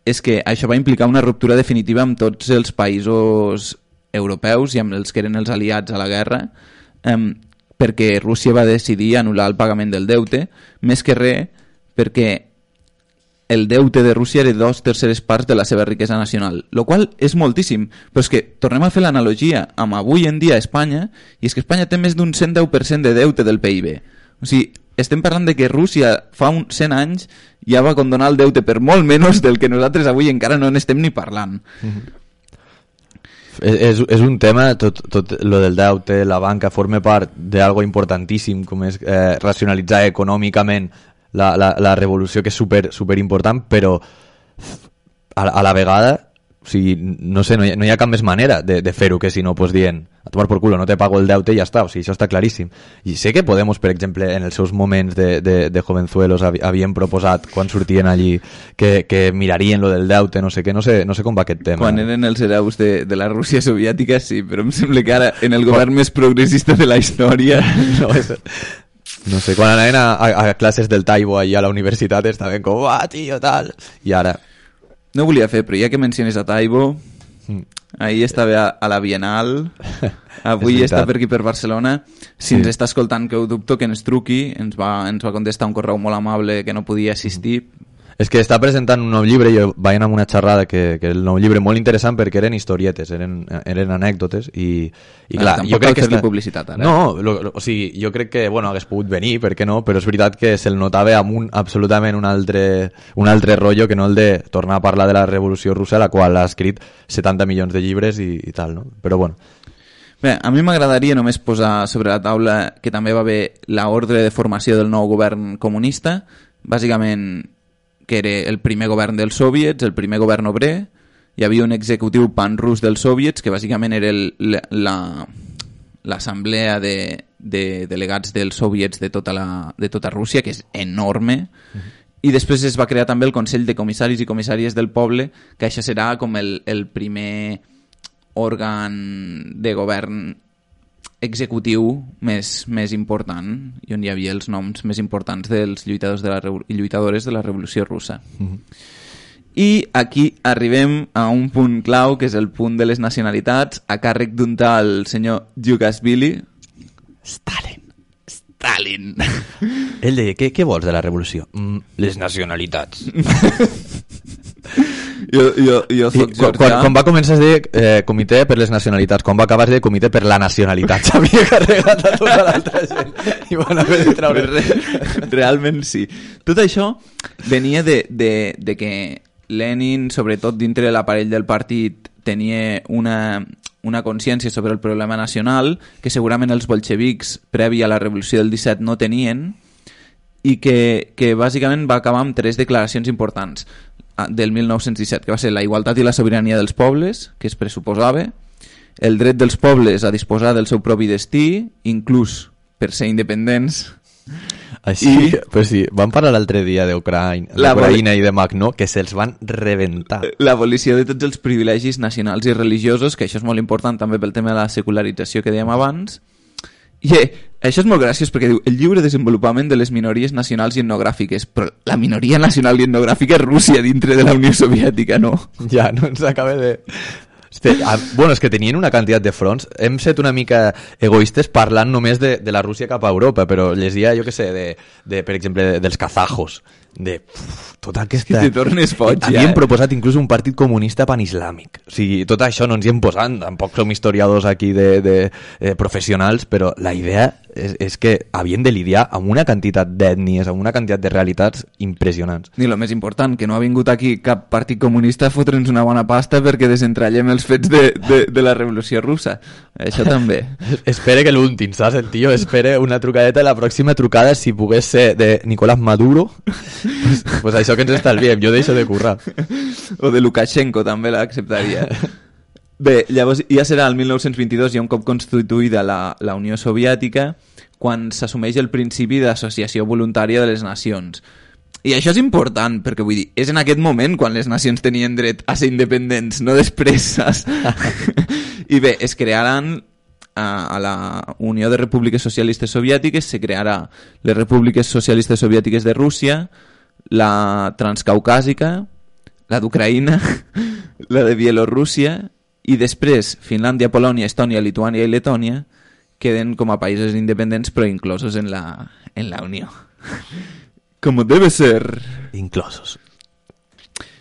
és que això va implicar una ruptura definitiva amb tots els països europeus i amb els que eren els aliats a la guerra, eh, perquè Rússia va decidir anul·lar el pagament del deute, més que res perquè el deute de Rússia era dos terceres parts de la seva riquesa nacional, el qual és moltíssim, però és que tornem a fer l'analogia amb avui en dia a Espanya, i és que Espanya té més d'un cent deu per cent de deute del P I B. O sigui, estem parlant de que Rússia fa uns cent anys ja va condonar el deute per molt menys del que nosaltres avui encara no n'estem ni parlant. Mm-hmm. És, és un tema, tot, tot lo del deute, la banca forma part d'algo importantíssim com és eh, racionalitzar econòmicament La, la, la revolució, que és super, super important, però a, a la vegada O sigui, no sé, no hi ha, no hi ha cap més manera de, de fer-ho que si no, pues dient, a tomar por culo, no te pago el deute i ja està. O sigui, això està claríssim. I sé que Podemos, per exemple, en els seus moments de, de, de jovenzuelos havien proposat, quan sortien allí, que, que mirarien lo del deute, no sé què, no sé, no sé com va aquest tema. Quan eren els hereus de, de la Rússia soviètica, sí, però em sembla que ara, en el govern quan... més progressista de la història... no, és... no sé, quan anaven a, a, a classes del Taibo allà a la universitat estaven com, ah, tio, tal... I ara... No volia fer, però ja que menciones a Taibo, ahir estava a, a la Bienal, avui està per aquí per Barcelona. Si sí. ens està escoltant, que ho dubto, que ens truqui, ens va, ens va contestar un correu molt amable que no podia assistir. És que està presentant un nou llibre, jo vaig anar amb una xerrada que, que el nou llibre molt interessant perquè eren historietes, eren, eren anècdotes i, i clar, ah, jo crec que... Està... publicitat, ara. No, lo, lo, o sigui, jo crec que, bueno, hagués pogut venir, per què no? Però és veritat que se'l notava amb un, absolutament un altre, un altre rotllo que no el de tornar a parlar de la Revolució Russa, la qual ha escrit setanta milions de llibres i, i tal, no? Però bueno... Bé, a mi m'agradaria només posar sobre la taula que també va haver l'ordre de formació del nou govern comunista, bàsicament que era el primer govern dels soviets, el primer govern obrer, hi havia un executiu pan-rus dels soviets, que bàsicament era el, la, l'assemblea de, de delegats dels soviets de tota, la, de tota Rússia, que és enorme, uh-huh. I després es va crear també el Consell de Comissaris i Comissàries del Poble, que això serà com el, el primer òrgan de govern executiu més, més important i on hi havia els noms més importants dels lluitadors de la, i lluitadores de la Revolució Russa. Mm-hmm. I aquí arribem a un punt clau, que és el punt de les nacionalitats, a càrrec d'un tal senyor Djugashvili. Stalin. Stalin. Ell deia, què, què vols de la revolució? Mm, les nacionalitats. Jo, jo, jo soc quan, quan, quan va començar a dir eh, comitè per les nacionalitats, quan va acabar de dir comitè per la nacionalitat, s'havia carregat a tota l'altra gent i van haver de treure. Realment sí. Tot això venia de, de, de que Lenin, sobretot dintre de l'aparell del partit, tenia una, una consciència sobre el problema nacional que segurament els bolxevics previ a la revolució del disset no tenien i que, que bàsicament va acabar amb tres declaracions importants del mil nou-cents disset, que va ser la igualtat i la sobirania dels pobles, que es pressuposava, el dret dels pobles a disposar del seu propi destí, inclús per ser independents. Així, I, pues sí, van parlar l'altre dia d'Ucraïna i de Magnó, que se'ls van reventar. L'abolició de tots els privilegis nacionals i religiosos, que això és molt important també pel tema de la secularització que dèiem abans. I eh, això és molt graciós perquè diu el lliure desenvolupament de les minories nacionals i etnogràfiques, però la minoria nacional i etnogràfica és Rússia dintre de la Unió Soviètica, no? Ja, no ens acaba de... Este, ah, bueno, és que tenien una quantitat de fronts. Hem set una mica egoistes parlant només de, de la Rússia cap a Europa, però llegia, jo què sé, de, de, per exemple, de, dels kazajos, de uf, tota aquesta... Si te tornes foig, ja. Havien proposat inclús un partit comunista panislàmic. O sigui, tot això no ens hi hem posat, tampoc som historiadors aquí de, de, de professionals, però la idea és, és que havien de lidiar amb una quantitat d'ètnies, amb una quantitat de realitats impressionants. I el més important, que no ha vingut aquí cap partit comunista a fotre'ns una bona pasta perquè desentrallem els fets de, de, de la Revolució Russa. Això també. Espere que l'últim, saps? El tio espere una trucadeta, la pròxima trucada, si pogués ser de Nicolás Maduro, pues, pues això que ens estalviem, jo deixo de currar. O de Lukashenko també l'acceptaria. Bé, llavors ja serà el mil nou-cents vint-i-dos, ja un cop constituïda la, la Unió Soviètica, quan s'assumeix el principi d'associació voluntària de les nacions. I això és important, perquè vull dir, és en aquest moment quan les nacions tenien dret a ser independents, no després, saps? I bé, es crearan a, a la Unió de Repúbliques Socialistes Soviètiques, se crearà les Repúbliques Socialistes Soviètiques de Rússia, la Transcaucàsica, la d'Ucraïna, la de Bielorússia, i després Finlàndia, Polònia, Estònia, Lituània i Letònia queden com a països independents però inclosos en la, en la Unió. Com debe ser. Inclosos.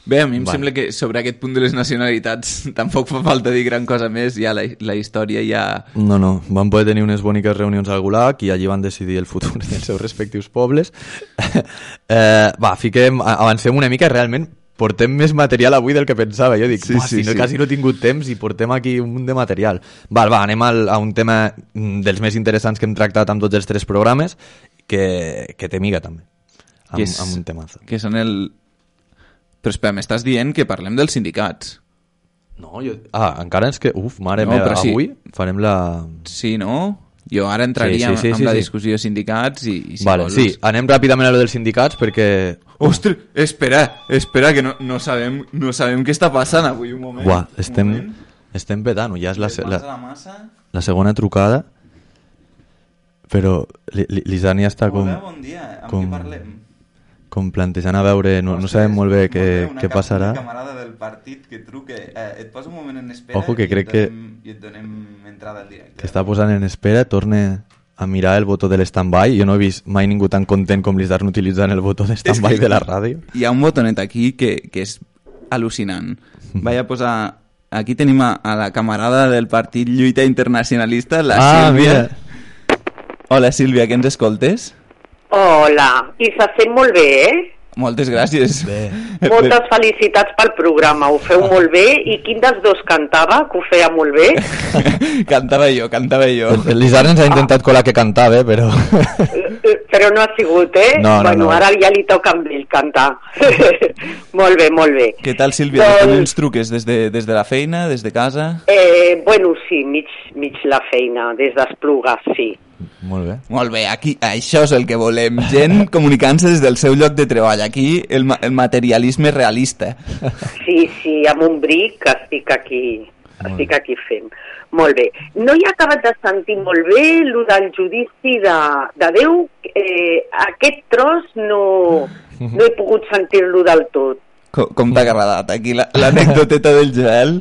Bé, a mi em vale. sembla que sobre aquest punt de les nacionalitats tampoc fa falta dir gran cosa més, ja la, la història ja... No, no, van poder tenir unes boniques reunions al Gulag i allí van decidir el futur dels seus respectius pobles. eh, va, fiquem, avancem una mica, realment portem més material avui del que pensava. Jo dic, sí, sí, si no, sí. quasi no he tingut temps i portem aquí un munt de material. Val, va, anem al, a un tema dels més interessants que hem tractat amb tots els tres programes, que, que té miga també. Amb, que és, amb un temazo. Que són el... Però espera, m'estàs dient que parlem dels sindicats. No, jo... Ah, encara ens que... Uf, mare No, meva, però sí. avui farem la... Sí, no? Jo ara entraria Sí, sí, sí, amb sí, la sí. discussió de sindicats i, i si Vale, vols... sí, anem ràpidament a lo dels sindicats perquè... Ostres, espera, espera, que no, no, sabem, no sabem què està passant avui, un moment. Uah, un estem, moment. estem petant-ho, ja és la, Les mans la, a la massa. la segona trucada, però li- li- l'Isani està com, Hola, bon dia, amb com- qui parlem? com plantejant a veure, no, no Ostres, sabem molt bé molt què, una què ca- passarà. Una camarada del partit que truque. Eh, et poso un moment en espera Ojo, que i, crec et que- donem, i et donem entrada al directe. Que està posant en espera, torne a mirar el botó de l'stand-by. Jo no he vist mai ningú tan content com l'Isarn utilitzant el botó de stand-by de la ràdio. Hi ha un botonet aquí que, que és al·lucinant. Vaig a posar... Aquí tenim a, a la camarada del partit Lluita Internacionalista, la Ah, Sílvia. Hola, Sílvia, que ens escoltes? Hola, i se sent molt bé, eh? Moltes gràcies. Bé. Moltes felicitats pel programa, ho feu molt bé. I quin dels dos cantava, que ho feia molt bé? Cantava jo, cantava jo. L'Isarn ens ha intentat colar que cantava, però... Però no ha sigut, eh? No, no, bueno, no. ara ja li toca amb ell cantar. Molt bé, molt bé. Què tal, Sílvia? Doncs- Com ens truques? Des de, des de la feina? Des de casa? Eh, bueno, sí, mig, mig la feina, des d'Esplugues, sí. Molt bé. Molt bé, aquí, això és el que volem. Gent comunicant-se des del seu lloc de treball. Aquí el, ma- el materialisme realista. Sí, sí, amb un bric estic aquí, estic aquí fent. Molt bé. No he acabat de sentir molt bé el del judici de, de Déu. Eh, aquest tros no, no he pogut sentir-lo del tot. Com, com t'ha agradat aquí la- l'anècdoteta del Joel?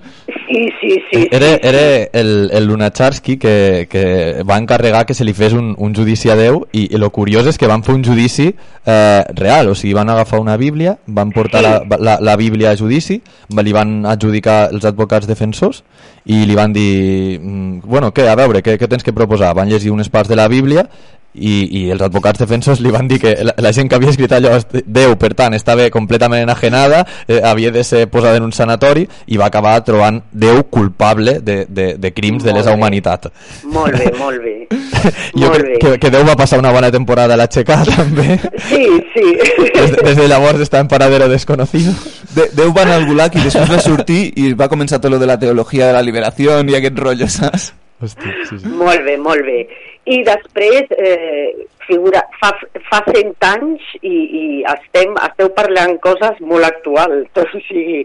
Sí, sí, sí. Era, sí, era el, el Lunacharsky que, que va encarregar que se li fes un, un judici a Déu i, i lo curiós és que van fer un judici eh, real, o sigui, van agafar una Bíblia, van portar Sí. la, la, la Bíblia a judici, li van adjudicar els advocats defensors i li van dir, mm, bueno, què, a veure, què, què tens que proposar? Van llegir unes parts de la Bíblia i, i els advocats defensors li van dir que la, la gent que havia escrit allò, Déu, per tant, estava completament enajenada, eh, havia de ser posada en un sanatori i va acabar trobant Déu culpable de, de, de crims de Molt lesa bé. humanitat. Molt bé, molt bé. Jo Molt crec bé. que, que Déu va passar una bona temporada a l'Aixecà també. Sí, sí. Des, des de llavors està en paradero desconocido. De, Déu va anar al gulag i després va sortir i va començar tot lo de la teologia de la liberació i aquest rotllo, saps? Hosti, sí, sí. Molt bé, molt bé. I després, eh, figura, fa, fa cent anys i, i estem, esteu parlant coses molt actuals, o sigui,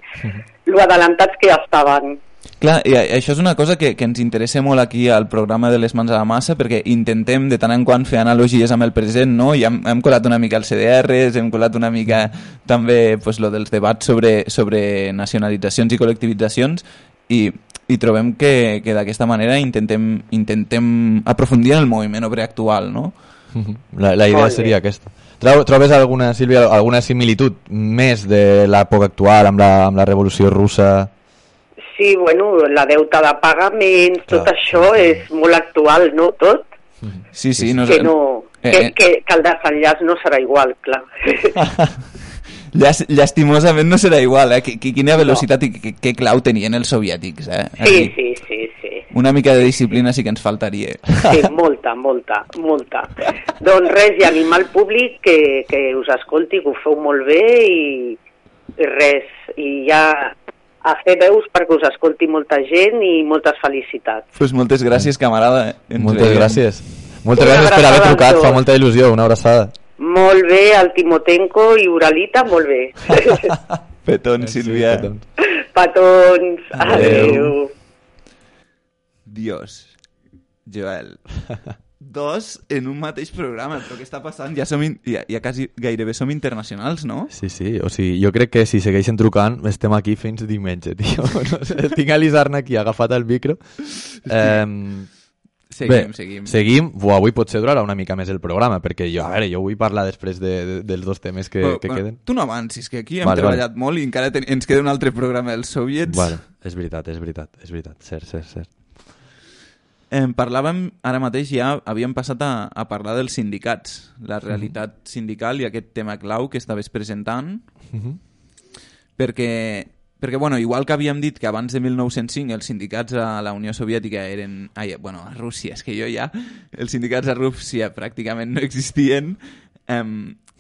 lo adelantats que estaven. Clar, i això és una cosa que, que ens interessa molt aquí al programa de les mans a la massa perquè intentem de tant en quant fer analogies amb el present, no? I hem, hem colat una mica els C D Rs, hem colat una mica també pues, lo dels debats sobre, sobre nacionalitzacions i col·lectivitzacions i, i trobem que, que d'aquesta manera intentem, intentem aprofundir en el moviment obrer actual, no? La, la idea Molt bé. seria aquesta. Trau- Trobes alguna, Sílvia, alguna similitud més de l'època actual amb la, amb la revolució russa? Sí, bueno, la deuta de pagaments, tot Clar. això és molt actual, no? Tot? Sí, sí, no, Que, no, eh, que, eh. que, que el desenllaç no serà igual, clar. Llàs- Llastimosament no serà igual, eh? Qui- qui- Quina velocitat i què, què clau tenien els soviètics, eh? Sí, Aquí. sí, sí, sí. Una mica de disciplina sí que ens faltaria. Sí, molta, molta, molta. Doncs res, i animar al públic que, que us escolti, que ho feu molt bé i, i res. I ja a fer veus perquè us escolti molta gent i moltes felicitats. Pues moltes gràcies, camarada. eh? Ens Moltes veiem. gràcies. Moltes Una gràcies per haver abraçada a trucat, tots. fa molta il·lusió, una abraçada. Molt bé, el Timotenko i Uralita, molt bé. Petons, Sílvia. Petons. Petons, Adeu. adeu. Dios. Joel. Dos en un mateix programa, però què està passant? Ja, som in... ja, ja quasi gairebé som internacionals, no? Sí, sí, o sigui, jo crec que si segueixen trucant estem aquí fins diumenge, tio. No sé, tinc a l'Isarn aquí agafat el micro. Eh, Seguim, Bé, seguim. seguim. Buah, avui potser durarà una mica més el programa, perquè jo, a veure, jo vull parlar després de, de, dels dos temes que, Però, que bueno, queden. Tu no avancis, que aquí hem Vale, treballat vale. molt i encara ten... ens queda un altre programa dels soviets. Bueno, és veritat, és veritat, és veritat, cert, cert, cert. Eh, parlàvem, ara mateix ja havíem passat a, a parlar dels sindicats, la realitat sindical i aquest tema clau que estaves presentant, Mhm. perquè, perquè bueno, igual que havíem dit que abans de mil nou-cents cinc els sindicats a la Unió Soviètica eren... Ai, bueno, a Rússia, és que jo ja... Els sindicats a Rússia pràcticament no existien. Eh,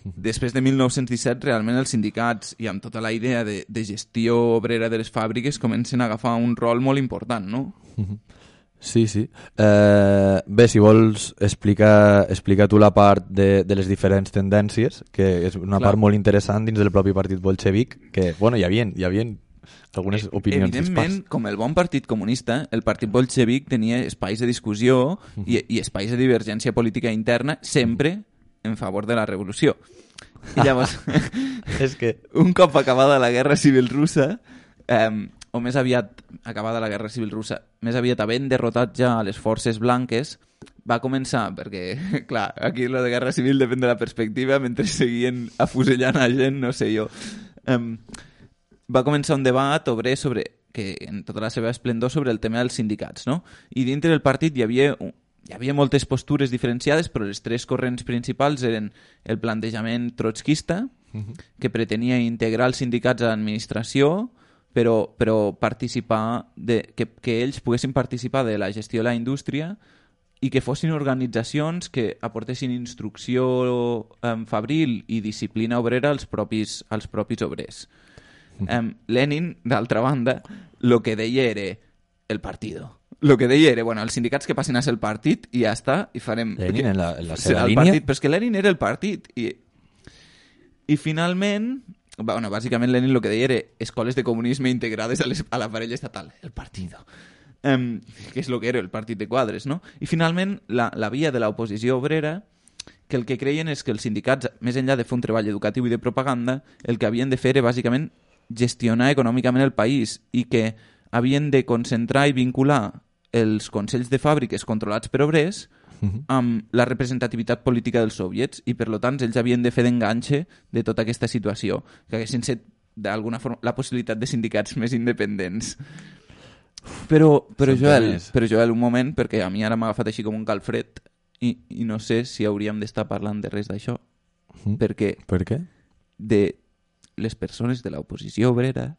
després de mil nou-cents disset realment els sindicats i amb tota la idea de, de gestió obrera de les fàbriques comencen a agafar un rol molt important, no? Sí, sí. Eh, bé, si vols explica, explica tu la part de, de les diferents tendències, que és una Clar. part molt interessant dins del propi partit bolxevic, que, bueno, hi havia, hi havia algunes opinions Evidentment, dispars. com el bon partit comunista, el partit bolxevic tenia espais de discussió i, i espais de divergència política interna sempre en favor de la revolució. I llavors, És que... un cop acabada la guerra civil russa, eh, o més aviat acabada la guerra civil russa, més aviat havent derrotat ja a les forces blanques, va començar, perquè, clar, aquí lo de guerra civil depèn de la perspectiva, mentre seguien afusellant a gent, no sé jo. Um, va començar un debat obrer sobre, que en tota la seva esplendor, sobre el tema dels sindicats, no? I dintre del partit hi havia, hi havia moltes postures diferenciades, però les tres corrents principals eren el plantejament trotskista, uh-huh. que pretenia integrar els sindicats a l'administració, però, però participar de, que, que ells poguessin participar de la gestió de la indústria i que fossin organitzacions que aportessin instrucció um, fabril i disciplina obrera als propis, als propis obrers. Um, Lenin, d'altra banda, el que deia era el partido. El que deia era, bueno, els sindicats que passin a ser el partit i ja està, i farem... Lenin en la, en la seva el línia? Partit, però és que Lenin era el partit. I, i finalment... Bueno, bàsicament Lenin el que deia era escoles de comunisme integrades a, les, a l'aparell estatal, el partido, um, que és el que era el partit de quadres, no? I finalment la, la via de l'oposició obrera, que el que creien és que els sindicats, més enllà de fer un treball educatiu i de propaganda, el que havien de fer era bàsicament gestionar econòmicament el país i que havien de concentrar i vincular els consells de fàbriques controlats per obrers amb la representativitat política dels soviets i per tant ells havien de fer d'enganxe de tota aquesta situació, que haguessin set d'alguna forma la possibilitat de sindicats més independents. Però, però, Joel, però Joel, un moment, perquè a mi ara m'ha agafat així com un calfred i, i no sé si hauríem d'estar parlant de res d'això, mm. perquè per què? De les persones de l'oposició obrera,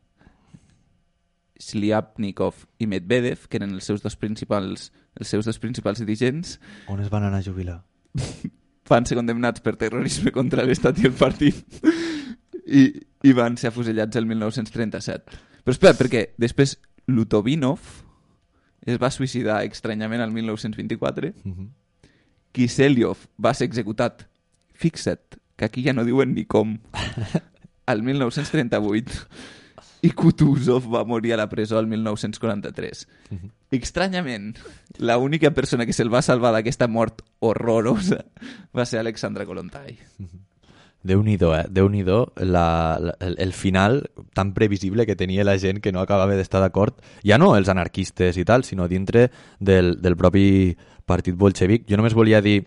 Sliapnikov i Medvedev, que eren els seus dos principals, els seus dos principals dirigents, on es van anar a jubilar? van ser condemnats per terrorisme contra l'estat i el partit i, i van ser afusellats el mil nou-cents trenta-set. Però espera, perquè després Lutovinov es va suïcidar estranyament el mil nou-cents vint-i-quatre, uh-huh. Kiselyov va ser executat, fixa't, que aquí ja no diuen ni com, al mil nou-cents trenta-vuit, i Kutuzov va morir a la presó el mil nou-cents quaranta-tres. Uh-huh. Estranyament, l'única persona que se'l va salvar d'aquesta mort horrorosa va ser Alexandra Kollontai. Uh-huh. Déu-n'hi-do, eh? Déu-n'hi-do la, la, el, el final tan previsible que tenia la gent que no acabava d'estar d'acord, ja no els anarquistes i tal, sinó dintre del, del propi partit bolxevic. Jo només volia dir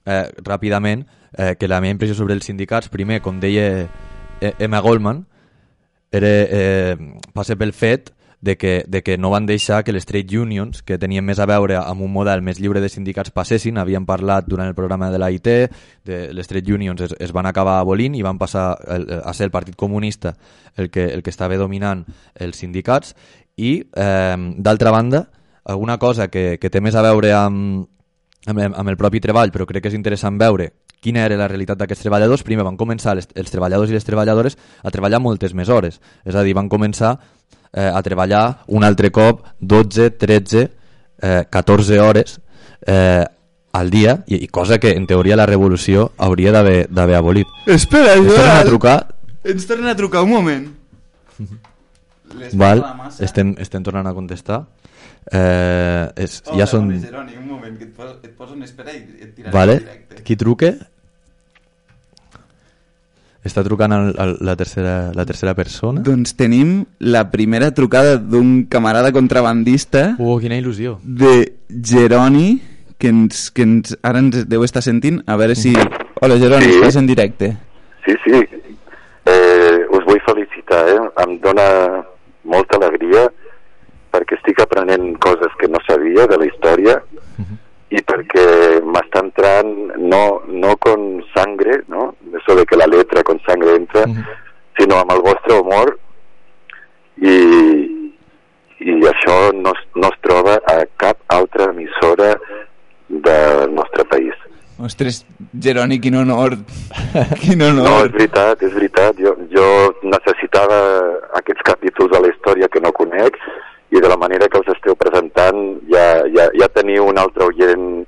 eh, ràpidament eh, que la meva impressió sobre els sindicats, primer, com deia Emma Goldman, era, eh, passa pel fet de que, de que no van deixar que les trade unions, que tenien més a veure amb un model més lliure de sindicats, passessin. Havien parlat durant el programa de l'A I T, de les trade unions es, es van acabar abolint i van passar el, a ser el Partit Comunista el que, el que estava dominant els sindicats. I, eh, d'altra banda, alguna cosa que, que té més a veure amb, amb, amb el propi treball, però crec que és interessant veure quina era la realitat d'aquests treballadors. Primer van començar les, els treballadors i les treballadores a treballar moltes més hores, és a dir, van començar eh, a treballar un altre cop dotze, tretze, eh, catorze hores eh, al dia, i, i cosa que en teoria la revolució hauria d'haver, d'haver abolit. Espera, ens tornen a trucar ens tornen a trucar un moment. Val, estem, estem tornant a contestar. Eh, és, oh, ja són... Geroni, un moment, que et poso, et poso en espera i et tiraré vale. en directe. Qui truque? Està trucant el, el, la, tercera, la tercera persona? Doncs tenim la primera trucada d'un camarada contrabandista. Oh, quina il·lusió. De Geroni, que, ens, que ens, ara ens deu estar sentint. A veure si... Hola, Geroni, sí. Estàs en directe. Sí, sí. Eh, us vull felicitar, eh? Em dóna molta alegria perquè estic aprenent coses que no sabia de la història uh-huh. i perquè m'està entrant no, no con sangre, no? Eso de que la letra con sangre entra, uh-huh. sinó amb el vostre humor i, i això no, no es troba a cap altra emissora del nostre país. Ostres, Geroni, quin honor. Quin honor. No, és veritat, és veritat. Jo, jo necessitava aquests capítols de la història que no conec i de la manera que els esteu presentant ja, ja, ja teniu un altre oient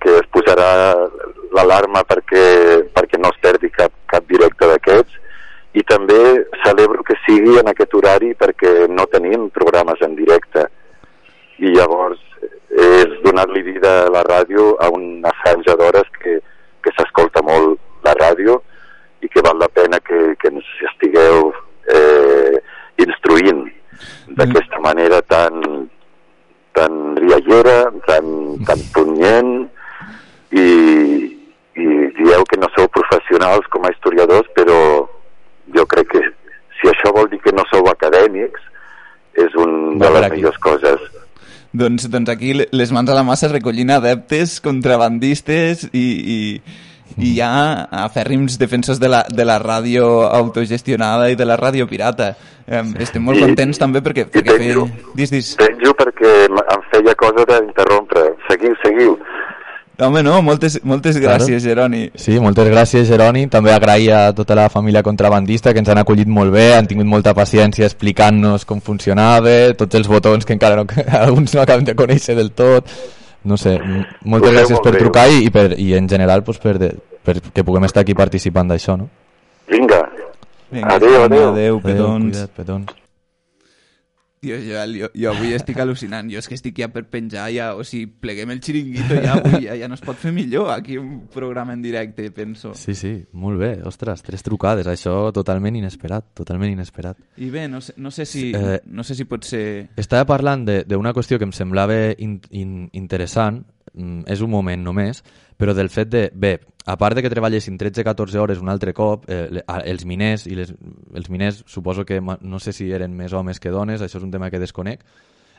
que es posarà l'alarma perquè, perquè no es perdi cap, cap directe d'aquests. I també celebro que sigui en aquest horari perquè no tenim programes en directe i llavors és donar-li vida a la ràdio a una franja d'hores que, que s'escolta molt la ràdio i que val la pena que, que ens estigueu eh, instruint d'aquesta manera tan, tan riallera, tan, tan punyent i, i dieu que no sou professionals com a historiadors, però jo crec que si això vol dir que no sou acadèmics és una de les millors coses. Doncs, doncs aquí les mans a la massa recollint adeptes, contrabandistes i, i, i ja afèrrims defensors de la, de la ràdio autogestionada i de la ràdio pirata. Eh, estem molt I, contents també perquè... perquè penjo, fer... dis, dis. penjo perquè em feia cosa d'interrompre. Seguiu, seguiu. Home, no, moltes, moltes gràcies, claro. Geroni. Sí, moltes gràcies, Geroni. També agrair a tota la família contrabandista que ens han acollit molt bé, han tingut molta paciència explicant-nos com funcionava, tots els botons que encara no, alguns no acabem de conèixer del tot. No sé, moltes gràcies per trucar i, i, per, i en general pues, per, de, per que puguem estar aquí participant d'això, no? Vinga. Vinga, adéu, adéu. Adéu, petons. Cuida't, petons. Tio, Joel, jo, jo avui estic al·lucinant. Jo és que estic ja per penjar, ja, o sigui, pleguem el xiringuito ja, avui ja, ja no es pot fer millor aquí un programa en directe, penso. Sí, sí, molt bé. Ostres, tres trucades, això totalment inesperat, totalment inesperat. I bé, no sé, no sé, si, eh, no sé si pot ser... Estava parlant d'una qüestió que em semblava in, in, interessant, mm, és un moment només, però del fet de, bé, a part de que treballessin tretze catorze hores un altre cop, eh, els miners, i les, els miners suposo que no sé si eren més homes que dones, això és un tema que desconec,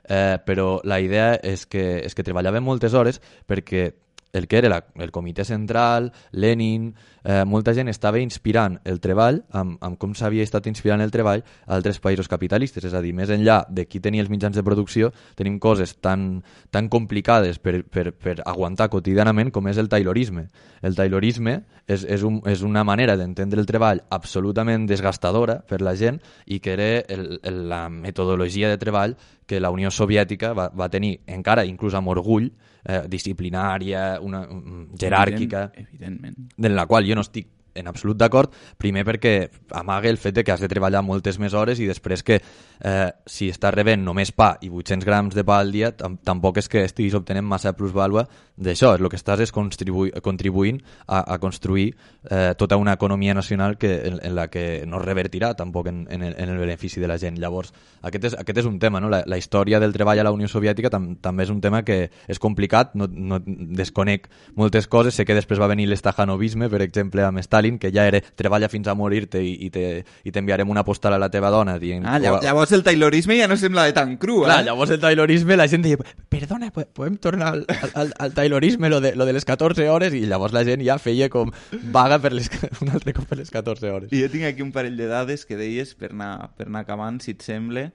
eh, però la idea és que, és que treballaven moltes hores perquè el que era la, el comitè central, Lenin, eh, molta gent estava inspirant el treball, amb, amb com s'havia estat inspirant el treball a altres països capitalistes, és a dir, més enllà de qui tenia els mitjans de producció, tenim coses tan, tan complicades per, per, per aguantar quotidianament com és el taylorisme. El taylorisme és, és, un, és una manera d'entendre el treball absolutament desgastadora per la gent i que era el, el, la metodologia de treball que la Unió Soviètica va, va tenir encara, inclús amb orgull, eh, disciplinària, una, um, jeràrquica, evidentment, en la qual jo no estic en absolut d'acord, primer perquè amaga el fet de que has de treballar moltes més hores i després que eh, si estàs rebent només pa i vuit-cents grams de pa al dia tam tampoc és que estiguis obtenint massa plusvàlua d'això, el que estàs és contribu contribuint a, a construir eh, tota una economia nacional que, en, en la que no revertirà tampoc en, en, el, en el benefici de la gent. Llavors, aquest és, aquest és un tema, no? La, la història del treball a la Unió Soviètica tam també és un tema que és complicat, no, no desconec moltes coses, sé que després va venir l'estajanovisme, per exemple, amb Stalin, que ja era treballa fins a morir-te i, i t'enviarem una postal a la teva dona dient... Ah, llavors, llavors el taylorisme ja no semblava tan cru, eh? Clar, llavors el taylorisme la gent deia, perdona, podem tornar al, al, al taylorisme, lo de, lo de les catorze hores, i llavors la gent ja feia com vaga per les, un altre cop per les catorze hores. I jo tinc aquí un parell de dades que deies per anar, per anar acabant, si et sembla,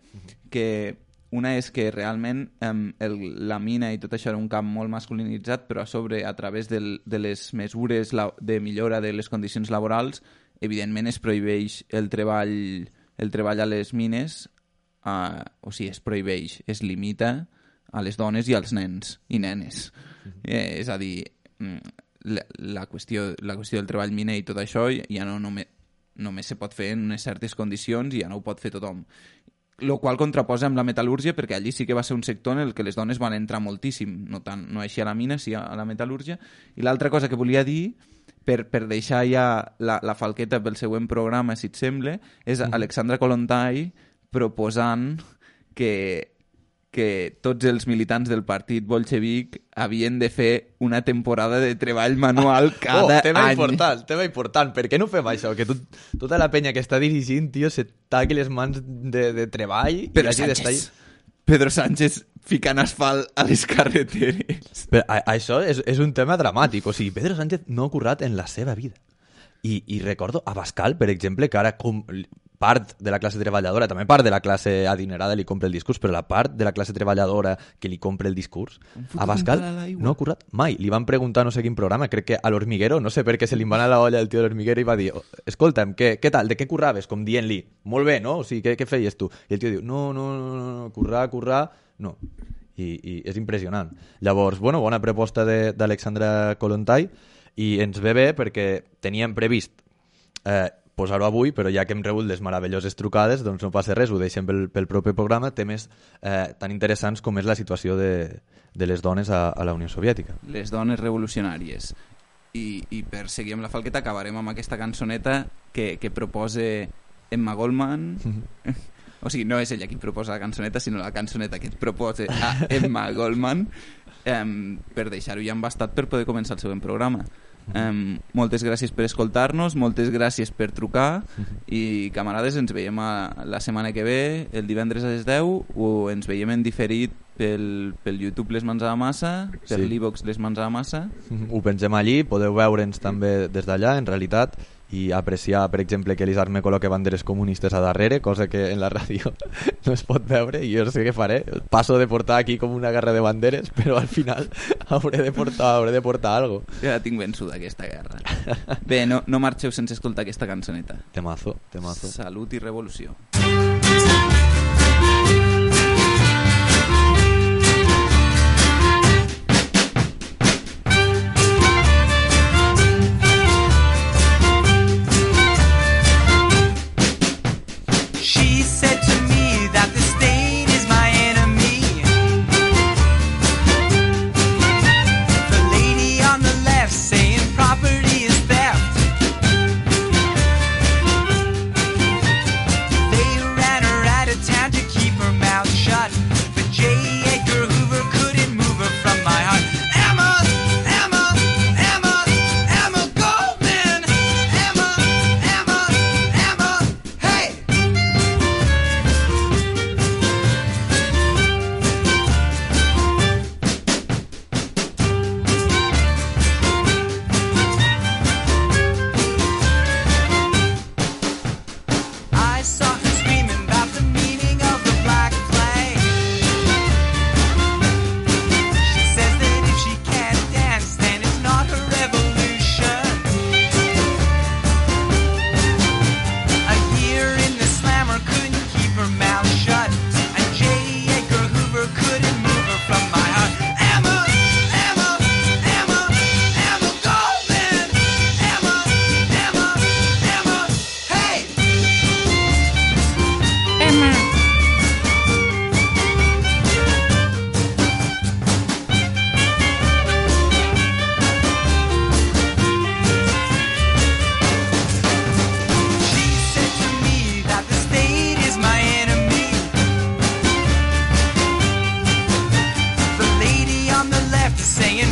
que una és que realment eh, el, la mina i tot això era un camp molt masculinitzat, però a sobre, a través del, de les mesures la, de millora de les condicions laborals, evidentment es prohibeix el treball, el treball a les mines, eh, o sigui, es prohibeix, es limita a les dones i als nens i nenes. Mm-hmm. eh, és a dir, la, la, qüestió, la qüestió del treball miner i tot això ja no només, només se pot fer en unes certes condicions i ja no ho pot fer tothom. Lo qual contraposa amb la metal·lúrgia, perquè allí sí que va ser un sector en el que les dones van entrar moltíssim, no tant no així a la mina, sí a la metal·lúrgia. I l'altra cosa que volia dir, per, per deixar ja la, la falqueta pel següent programa, si et sembla, és Alexandra Kollontai proposant que, que tots els militants del partit bolxevic havien de fer una temporada de treball manual cada oh, tema any. Important, tema important. Per què no fem això? Que tot, tota la penya que està dirigint, tio, se taqui les mans de, de treball... Pedro i Sánchez. Pedro Sánchez ficant asfalt a les carreteres. Però a, això és, és un tema dramàtic. O sigui, Pedro Sánchez no ha currat en la seva vida. I, i recordo a Bascal, per exemple, que ara com, part de la classe treballadora, també part de la classe adinerada li compra el discurs, però la part de la classe treballadora que li compra el discurs, a Bascal no ha currat mai. Li van preguntar no sé quin programa, crec que a l'Hormiguero, no sé per què se li va anar la olla el tio de l'Hormiguero i va dir, escolta'm, què, què tal, de què curraves? Com dient-li, molt bé, no? O sigui, què, què feies tu? I el tio diu, no, no, no, no, currar, currar, no. I, i és impressionant. Llavors, bueno, bona proposta d'Alexandra Kollontai i ens ve bé perquè teníem previst eh, posar-ho avui, però ja que hem rebut les meravelloses trucades, doncs no passa res, ho deixem pel, pel proper programa, temes eh, tan interessants com és la situació de, de les dones a, a la Unió Soviètica. Les dones revolucionàries. I, i per seguir amb la falqueta acabarem amb aquesta cançoneta que, que proposa Emma Goldman. Mm-hmm. O sigui, no és ella qui proposa la cançoneta, sinó la cançoneta que et proposa a Emma Goldman, eh, per deixar-ho ja embastat per poder començar el següent programa. Um, moltes gràcies per escoltar-nos, moltes gràcies per trucar i camarades, ens veiem a la setmana que ve, el divendres a les deu, o ens veiem en diferit pel, pel YouTube Les Mans a la Massa, per sí. l'Ivox Les Mans a la Massa. Ho pensem allí, podeu veure'ns també des d'allà, en realitat, i apreciar, per exemple, que l'Isarme col·loque banderes comunistes a darrere, cosa que en la ràdio no es pot veure, i jo no sé què faré, passo de portar aquí com una guerra de banderes, però al final hauré de portar, hauré de portar algo. Ja tinc vençuda aquesta guerra. Bé, no, no marxeu sense escoltar aquesta cançoneta. Temazo, temazo. Salut i revolució.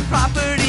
Property